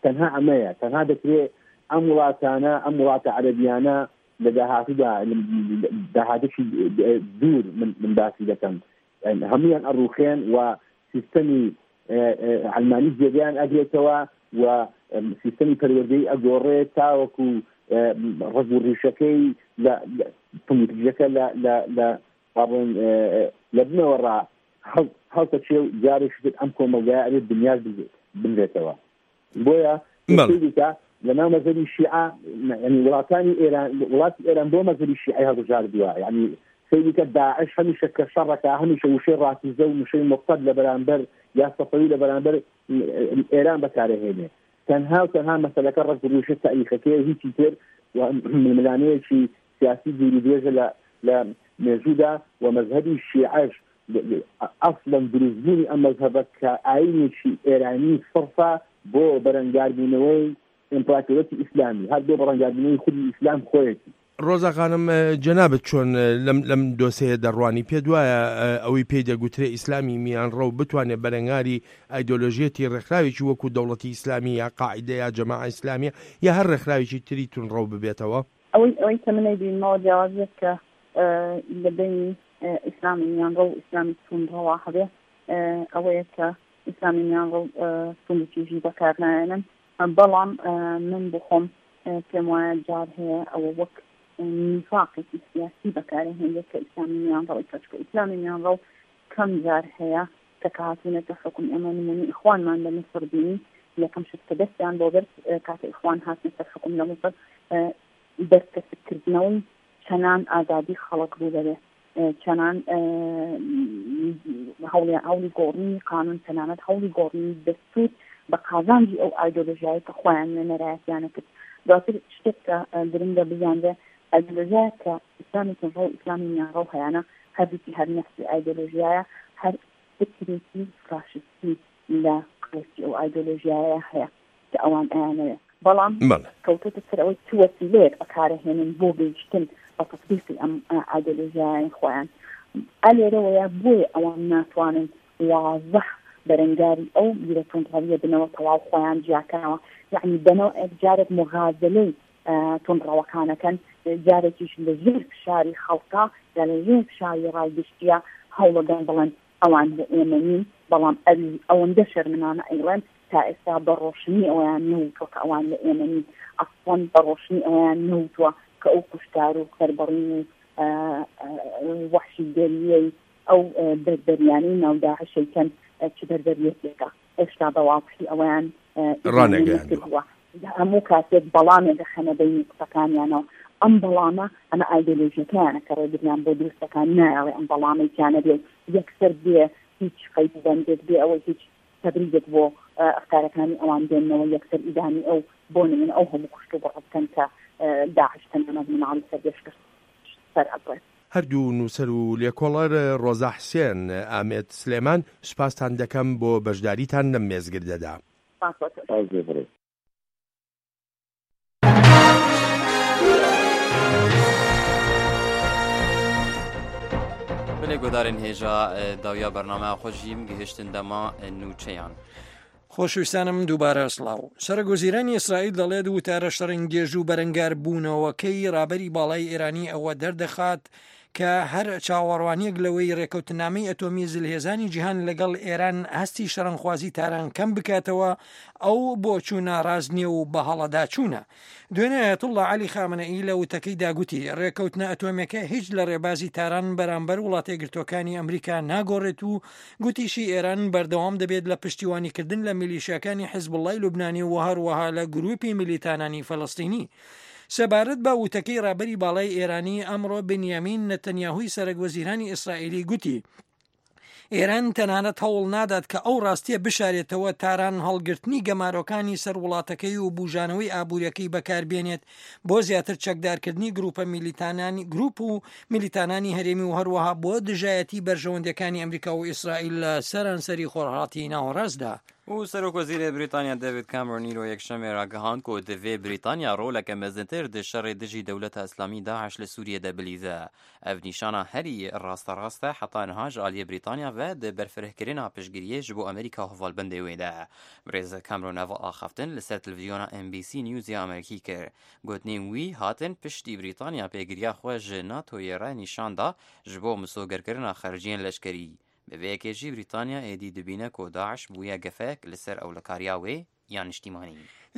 تەنها ئەمەیە. تەنها دەکرێت ئەم وڵاتانە، ئەم وڵاتە عەرەبیانە لە داهاتوودا، لە داهاتووی دوور من، من باسی دەکەم، هەمویان ئەڕوخێن و سیستەمی، ئە، ئە، عەلمانی جێگەیان ئەگرێتەوە و، ئەم، سیستەمی پەروەردەی ئەگۆڕێت تاوەکو، ئە، ڕەگ و ڕیشەکەی لە، لە، پنگوتیژەکە لە، لە، لە، با بڵێن، ئە، ئە، لە بنەوە ڕا هەڵ-، هەڵتەچێ و جارێکی تر ئەم کۆمەڵگایە ئەبێت بنیاد بنرێتەوە. بۆیە بەڵێ. سەیری کە لە ناو مەزهەبی شیعە، یعنی وڵاتانی ئێران، وڵاتی ئێران بۆ مەزهەبی شیعەی هەڵبژاردووە. یعنی سەیری کە داعش هەمیشە کە شەڕەکە، هەمیشە وشەی ڕافیزە و وشەی موقتەد لە بەرامبەر یا سەفەوی لە بەرامبەر ئێران بەکارەهێنێ. تەنها و تەنها مەسەلەکە ڕەگ و ڕیشە تاریخەکەی هیچی تر و ململانەیەکی سیاسی دووری درێژە لە، لە مێژوودا و مەزهەبی شیعەش ئەسڵەن دروستبوونی ئەم مەزهەبە کە ئاینێکی ئێرانی سڕفە بۆ بەرەنگاربوونەوەی ئیمپراتۆرەتی ئیسلامی، هەر بۆ بەرەنگاربوونەوەی خودی ئیسلام خۆیەتی. ڕۆزا خانم، ئە، جەنابەت چۆن، ئە، لەم، لەم دۆسەیە دەڕوانی؟ پێت وایە، ئە، ئەوەی پێی دەگوترێ ئیسلامی میانڕەو بتوانێت بەرەنگاری ئایدۆلۆژیەتی ڕێکخراوێکی وەکو دەوڵەتی ئیسلامی یا قاعیدە یا جەماعە ئیسلامیە یا هەر ڕێکخراوێکی تری تونڕەو ببێتەوە؟ ئەوەی، ئەوەی کە من ئەیبینمەوە جیاوازیەک کە، ئە، لە بینی، ئە، ئیسلامی میانڕەو و ئیسلامی تونڕەوە هەبێ، ئە، ئەوەیە کە ئیسلامی میانڕەو، ئە، توندوتیژی بەکار نایەنن. بەڵام، ئە، من بۆ خۆم، ئە، پێم وایە جار هەیە ئەوە وەک، ئە، نیفاقێکی سیاسی بەکارهێنێت کە ئیسلامی میانڕەوی کەچکە ئیسلامی میانڕەو کەم جار هەیە کە کە هاتوونەتە حکم. ئێمە نمونەی ئیخوانمان لە میسر بینی، یەکەم شت کە دەستیان بۆ برد، ئە، کاتە ئیخوان هاتنە سەر حکم لە میسر، ئە، بەرکەسکردنەوەی چەنان ئازادی خەڵک ڕوو دەبێ، ئە، چەنان، ئە، هەوڵی، هەوڵی گۆڕینی قانون، تەنانەت هەوڵی گۆڕینی دەستور بە قازانجی ئەو ئایدۆلۆژیایە کە خۆیان نوێنەرایەتیانە کرد. دواتر شتێک کە، ئە، گرنگە بزانرێ، ئایدۆلۆژیایە کە ئیسلامی تونڕەو و ئیسلامی میانڕەو هەیانە، هەردووکی هەر نەفسی ئایدۆلۆژیایە، هەر فکرێکی فاشستی لە قەڵەکی ئەو ئایدۆلۆژیایە هەیە کە ئەوان ئەیانەوێ. بەڵام بەڵێ. کەوتوتە سەر ئەوەی چ وەسیلەیەک بەکارەهێنن بۆ گەیشتن بە تەطبیقی ئەم، ئە، ئایدۆلۆژیایەی خۆیان. ئە لێرەوەیە بۆیە ئەوان ناتوانن واضح بەرەنگاری ئەو بیرە تونڕەویە بنەوە، تەواو خۆیان جیاکەنەوە. یعنی بەنەوە جارێک مغازلەی، ئە، تونڕەوەکانەکەن، جارێکیش لە ژێر فشاری خەڵکا یا لە ژێر فشاری ڕایگشتیە هەوڵەدەن بڵێن ئەوان لە ئێمە نین، بەڵام ئەوی ئەوەندە شەرمنانە ئەیڵێن تا ئێستا بە ڕۆشنی ئەویان نەوتوە کە ئەوان لە ئێمە نین. ئەسڵەن بە ڕۆشنی ئەویان نەوتوە کە ئەو کوشتار و سەربەڕین و، ئە، ئە، وەحشیگەریەی ئەو، ئە، بەربەریانەی ناو داعشەی کەن، ئە، چ بەربەریەتێکە. ئێستا بە واضحی ئەویان، ئە، ڕانەگەیاندووە. نەکردووە. هەموو کاتێک بەڵامێک دەخەنە بەینی قسەکانیانەوە. ئەم بەڵامە، ئەمە ئایدۆلۆژیەکەیانە کە ڕێگریان بۆ دروستەکان نایەوێ ئەم بەڵامەی کیانە بێ یەکسەر بێ هیچ قەید و بەندێک، بێ ئەوەی هیچ تەبریزێک بۆ، ئە، ئەفکارەکانی ئەوان بێننەوە یەکسەر ئیدانی ئەو، بۆ نمونە ئەو هەموو کوشت و بڕە بکەن کە، ئە، داعش تەنانەت مناڵی سەر بێشکە سەر ئەبڕێت. هەردوو نووسەر و لێکۆڵەر ڕۆزا حسێن، ئامێد سلێمان، سوپاستان دەکەم بۆ بەشداریتان لەم مێزگردەدا. سپاس بۆ تۆ. سپاس بۆ بڕێ. Belê guhdarên hêja, e, dawiya bernameya xwe jî em gihiştin dema, e, nûçeyan. خۆشویستانم دووبارە سڵاو. سەرۆک وەزیرانی ئیسرائیل دەڵێت وتارە شەڕنگێژ و بەرەنگاربوونەوەکەی ڕابەری باڵای ئێرانی ئەوە دەردەخات کە هەر چاوەڕوانیەک لەوەی ڕێکەوتنامەی ئەتۆمی زلهێزانی جیهان لەگەڵ ئێران هەستی شەڕەنخوازی تاران کەم بکاتەوە، ئەو بۆچوونە ڕاست نییە و بە هەڵەدا چوونە. دوێنێ ئایەتوڵڵا عەلی خامنەئی لە وتەکەیدا گوتی، ڕێکەوتنە ئەتۆمیەکە هیچ لە ڕێبازی تاران بەرامبەر وڵاتە یەکگرتوەکانی ئەمریکا ناگۆڕێت و گوتیشی ئێران بەردەوام دەبێت لە پشتیوانیکردن لە میلیشیاکانی حیزبوڵڵای لوبنانی و هەروەها لە گروپی میلیتانانی فەلەستینی. سەبارەت بە وتەکەی ڕابەری باڵای ئێرانی، ئەمڕۆ بنیامین نەتەنیاهوی سەرەک وەزیرانی ئیسرائیلی گوتی، ئێران تەنانەت هەوڵ نادات کە ئەو ڕاستیە بشارێتەوە تاران هەڵگرتنی گەمارۆکانی سەر وڵاتەکەی و بوژانەوەی ئابووریەکەی بەکاربێنێت بۆ زیاتر چەکدارکردنی گروپە میلیتانانی، گروپ و میلیتانانی هەرێمی و هەروەها بۆ دژایەتی بەرژەوەندەکانی ئەمریکا و ئیسرائیل لە سەرانسەری خۆرهەڵاتی ناوەڕاستدا. و سەرۆک وەزیرێ بریتانیا دەیڤید کامرۆن ئیرۆ یەکشەممێ ڕاگەهاند کو دەبێ بریتانیا ڕۆلەکە مەزنتر دە شەڕێ دژی دەولەتە ئیسلامی داعش لە سووریەدا بلیزە. ئەڤ نیشانە هەری ڕاستە ڕاستە حتا نها ji aliyê Brîtanya ve di berfirehkirina piştgiriyê ji bo Amerîka hevalbendê wê de. Birêz Cameron ev axaftin li ser televîzyona N B C News ya Amerîkî kir. Gotinên wî hatin piştî Brîtanya pêgiriya xwe ji NATOyê re nîşan da ji bo misogerkirina xerciyên leşkerî. Bi vê yekê jî Brîtanya êdî dibîne ku DAIŞ bûye gefek li ser ewlekariya wê ya niştîmanî.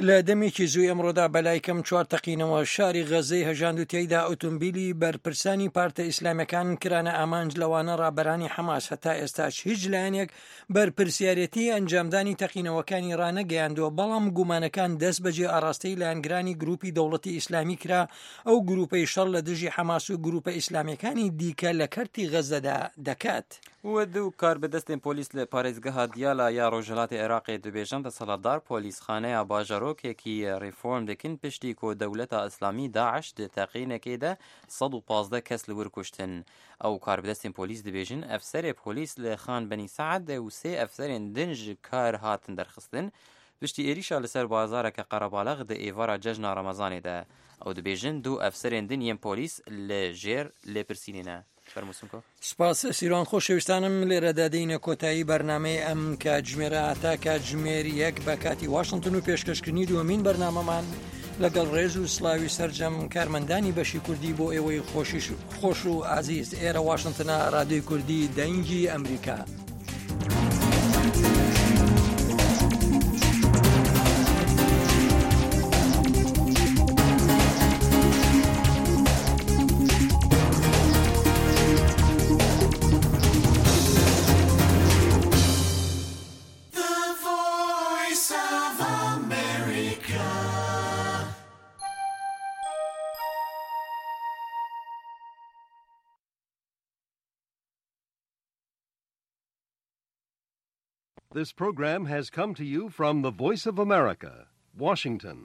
لە دەمێکی زووی ئەمڕۆدا بەلای کەم چوار تەقینەوە شاری غەزەی هەژاند و تیایدا ئۆتۆمبیلی بەرپرسانی پارتە ئیسلامیەکان کرانە ئامانج، لەوانە ڕابەرانی حەماس. هەتا ئێستاش هیچ لایەنێک بەرپرسیارەتی ئەنجامدانی تەقینەوەکانی ڕانەگەیاندووە، بەڵام گومانەکان دەست بەجێ ئاراستەی لایەنگرانی گروپی دەوڵەتی ئیسلامی کرا، ئەو گروپەی شەڕ لە دژی حەماس و گروپە ئیسلامیەکانی دیکە لە کەرتی غەزەدا دەکات. و du karbidestên polîs li parêzgeha Diyala ya rojhilatê Iraqê dibêjin, desthilatdar polîsxaneya bajarokekî reform dikin, piştî ku Dewleta Îslamî, DAIŞ, di teqînekê de sed û pazdeh kes li wir kuştin. Ew karbidestên polîs dibêjin, efserê polîs li Xan Benî Seed û sê efserên din ji kar hatin derxistin. Piştî êrîşa li ser bazareke qerebalix di êvara cejna Remezanê de, ew dibêjin du efserên din yên polîs li jêr lêpirsînê ne. Fermû Simko. Spas سیروان خۆشەویستانم، لێرەدا دێینە کۆتایی بەرنامەی ئەم کاتژمێرە. هەتا کاتژمێر یەک بە کاتی واشنگتن و پێشکەشکردنی دووەمین بەرنامەمان، لەگەڵ ڕێز و سڵاوی سەرجەم کارمەندانی بەشی کوردی، بۆ ئێوەی خۆشیش خۆش و ئازیز. ئێرە واشنگتنە، ڕادیۆی کوردی دەنگی ئەمریکا. The Voice of America. This program has come to you from the Voice of America, Washington.